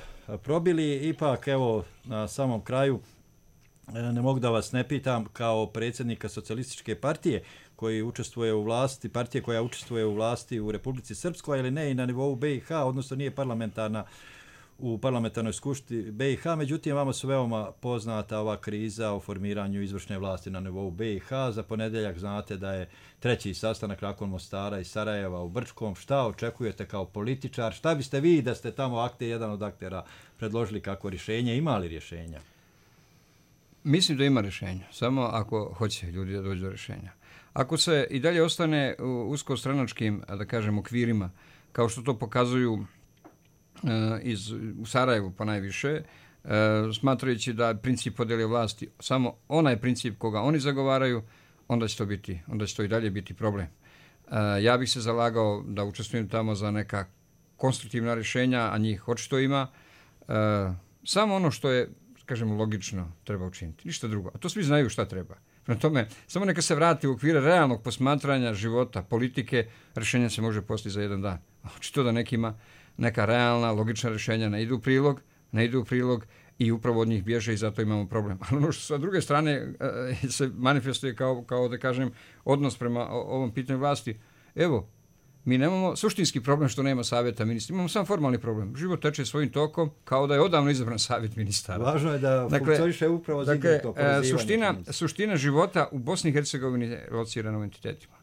probili, ipak evo na samom kraju ne mogu da vas ne pitam kao predsjednika Socijalističke partije koji učestvuje u vlasti, partije koja učestvuje u vlasti u Republici Srpskoj, ili ne i na nivou BiH, odnosno nije parlamentarna u parlamentarnoj skupštini BiH, međutim vama su veoma poznata ova kriza o formiranju izvršne vlasti na nivou BiH. Za ponedjeljak znate da je 3. sastanak nakon Mostara i Sarajeva u Brčkom. Šta očekujete kao političar? Šta biste vi da ste tamo jedan od aktera predložili kako rješenje? Ima li rješenja? Mislim da ima rješenja, samo ako hoće ljudi da dođu do rješenja. Ako se i dalje ostane u uskostranačkim, da kažem, okvirima, kao što to pokazuju u Sarajevu pa najviše, smatrajući da princip podjele vlasti samo onaj princip koga oni zagovaraju, onda će to i dalje biti problem. Ja bih se zalagao da učestvujem tamo za neka konstruktivna rješenja, a njih očito ima. Samo ono što je, kažemo, logično treba učiniti, ništa drugo. A to svi znaju šta treba. Prema tome, samo neka se vrati u okvire realnog posmatranja života, politike, rješenja se može postići za jedan dan. Očito da nekima neka realna, logična rješenja ne idu u prilog i upravo od njih bježe i zato imamo problem. Ali ono što sa druge strane se manifestuje kao da kažem, odnos prema ovom pitanju vlasti, evo, mi nemamo suštinski problem što nema savjeta ministra, imamo samo formalni problem. Život teče svojim tokom kao da je odavno izabran savjet ministara. Važno je da funkcioniše upravo to povezivanje. Suština života u Bosni i Hercegovini je locirana u entitetima.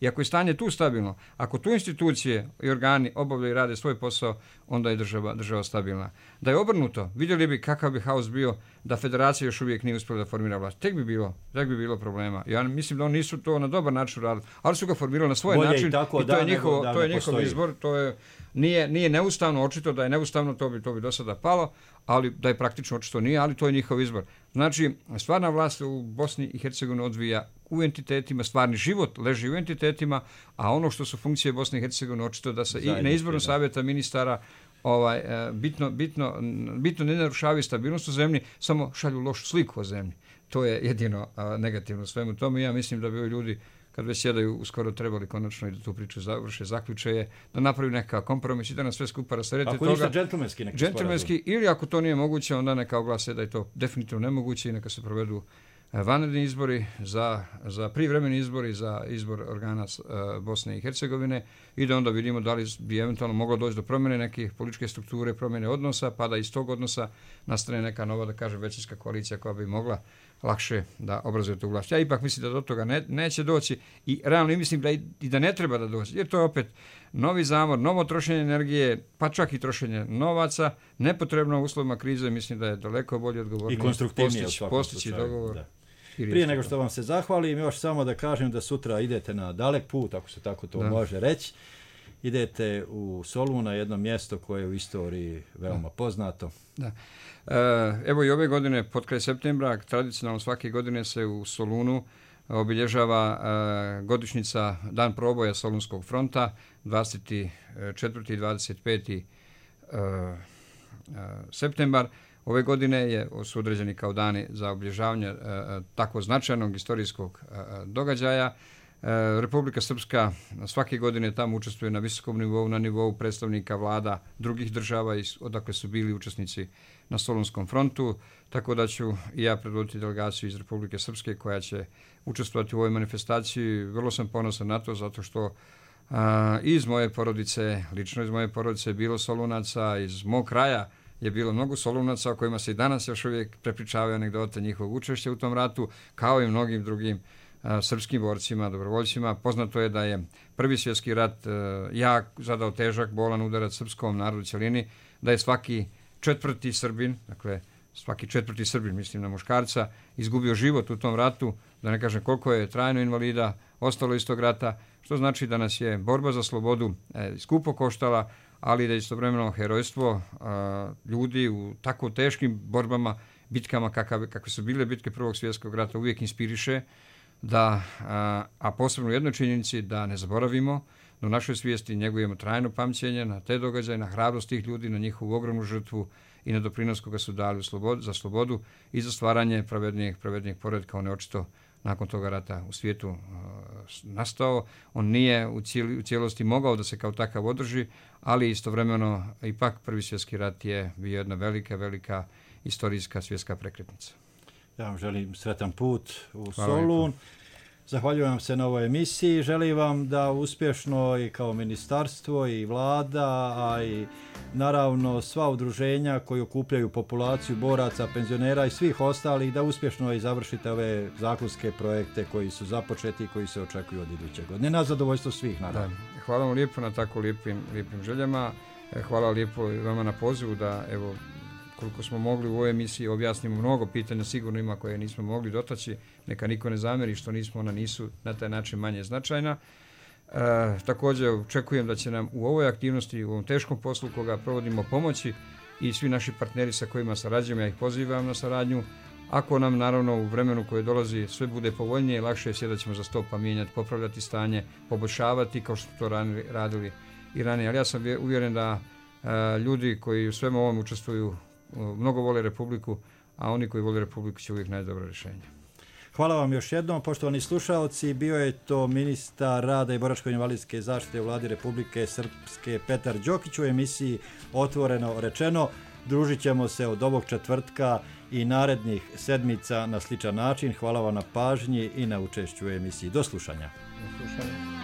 I ako je stanje tu stabilno, ako tu institucije i organi obavljaju i rade svoj posao, onda je država stabilna. Da je obrnuto, vidjeli bi kakav bi haos bio da federacija još uvijek nije uspjela da formira vlast. Tek bi bilo problema. Ja mislim da oni nisu to na dobar način radili, ali su ga formirali na svoj način i to je njihov izbor. To je nije neustavno, očito da je neustavno, to bi do sada palo, ali da je praktično očito nije, ali to je njihov izbor. Znači, stvarna vlast u Bosni i Hercegovini odvija u entitetima, stvarni život leži u entitetima, a ono što su funkcije Bosne i Hercegovine očito da se i na izboru savjeta ministara bitno ne narušavaju stabilnost u zemlji, samo šalju lošu sliku o zemlji. To je jedino negativno u svemu tome. Ja mislim da bi ovi ljudi, kad već sjedaju, uskoro trebali konačno i da tu priču završe, zaključe je da napravi neka kompromis i da nas sve skupa rasterete toga. Ako ništa džentlmenski neki sporazum. Ili ako to nije moguće, onda neka oglase da je to definitivno nemoguće i neka se provedu vanredni izbori, za privremeni izbori, za izbor organa Bosne i Hercegovine i da onda vidimo da li bi eventualno moglo doći do promjene nekih političke strukture, promjene odnosa, pa da iz tog odnosa nastane neka nova, da kažem, većinska koalicija koja bi mogla lakše da obrazuje tu vlast. Ja ipak mislim da do toga neće doći i realno mislim da ne treba da doći, jer to je opet novi zamor, novo trošenje energije, pa čak i trošenje novaca, nepotrebno u uslovima krize, mislim da je daleko bolje odgovornije i konstruktivnije postići dogovor. Da. Prije nego što vam se zahvalim, još samo da kažem da sutra idete na dalek put, ako se tako to može reći. Idete u Solun, na jedno mjesto koje je u istoriji veoma poznato. Da. Evo i ove godine, pod kraj septembra, tradicionalno svake godine se u Solunu obilježava godišnjica Dan proboja Solunskog fronta, 24. i 25. septembar. Ove godine su određeni kao dani za obilježavanje tako značajnog istorijskog događaja. Republika Srpska svake godine tamo učestvuje na visokom nivou, na nivou predstavnika vlada drugih država odakle su bili učesnici na Solunskom frontu, tako da ću i ja predvoditi delegaciju iz Republike Srpske koja će učestvovati u ovoj manifestaciji. Vrlo sam ponosan na to zato što iz moje porodice, lično iz moje porodice je bilo Solunaca, iz mog kraja je bilo mnogo Solunaca o kojima se i danas još uvijek prepričavaju anegdote njihovog učešća u tom ratu, kao i mnogim drugim srpskim borcima, dobrovoljcima. Poznato je da je Prvi svjetski rat zadao težak, bolan udarac srpskom narodu cjelini, da je svaki četvrti Srbin, mislim na muškarca, izgubio život u tom ratu, da ne kažem koliko je trajno invalida ostalo iz tog rata, što znači da nas je borba za slobodu skupo koštala, ali da je istovremeno herojstvo ljudi u tako teškim borbama, bitkama kakve su bile bitke Prvog svjetskog rata, uvijek inspiriše, a posebno u jednoj činjenici da ne zaboravimo, da u našoj svijesti njegujemo trajno pamćenje na te događaje, na hrabrost tih ljudi, na njihovu ogromnu žrtvu i na doprinos koga su dali za slobodu i za stvaranje pravednijeg poretka. On je očito nakon toga rata u svijetu nastao. On nije u cijelosti mogao da se kao takav održi, ali istovremeno ipak Prvi svjetski rat je bio jedna velika istorijska svjetska prekretnica. Ja vam želim sretan put u Solun. Zahvaljujem vam se na ovoj emisiji. Želim vam da uspješno i kao ministarstvo i vlada, a i naravno sva udruženja koji okupljaju populaciju boraca, penzionera i svih ostalih, da uspješno i završite ove zakonske projekte koji su započeti i koji se očekuju od iduće godine. Na zadovoljstvo svih, naravno. Da. Hvala vam lijepo na tako lijepim željama. Hvala lijepo vama na pozivu da, evo, koliko smo mogli u ovoj emisiji objasnimo mnogo pitanja, sigurno ima koje nismo mogli dotaći, neka niko ne zamjeri što ona nisu na taj način manje značajna. Također očekujem da će nam u ovoj aktivnosti, u ovom teškom poslu koga provodimo pomoći i svi naši partneri sa kojima sarađujemo, ja ih pozivam na saradnju. Ako nam naravno u vremenu koje dolazi sve bude povoljnije, lakše je sjedat ćemo za sto pa mijenjati, popravljati stanje, poboljšavati kao što to radili i ranije. Ali ja sam uvjeren da ljudi koji u svemu ovom učestvuju mnogo vole Republiku, a oni koji vole Republiku će uvijek naći dobro rješenje. Hvala vam još jednom, poštovani slušalci. Bio je to ministar rada i boračko-invalidske zaštite u vladi Republike Srpske Petar Đokić u emisiji Otvoreno rečeno. Družit ćemo se od ovog četvrtka i narednih sedmica na sličan način. Hvala vam na pažnji i na učešću u emisiji. Do slušanja. Do slušanja.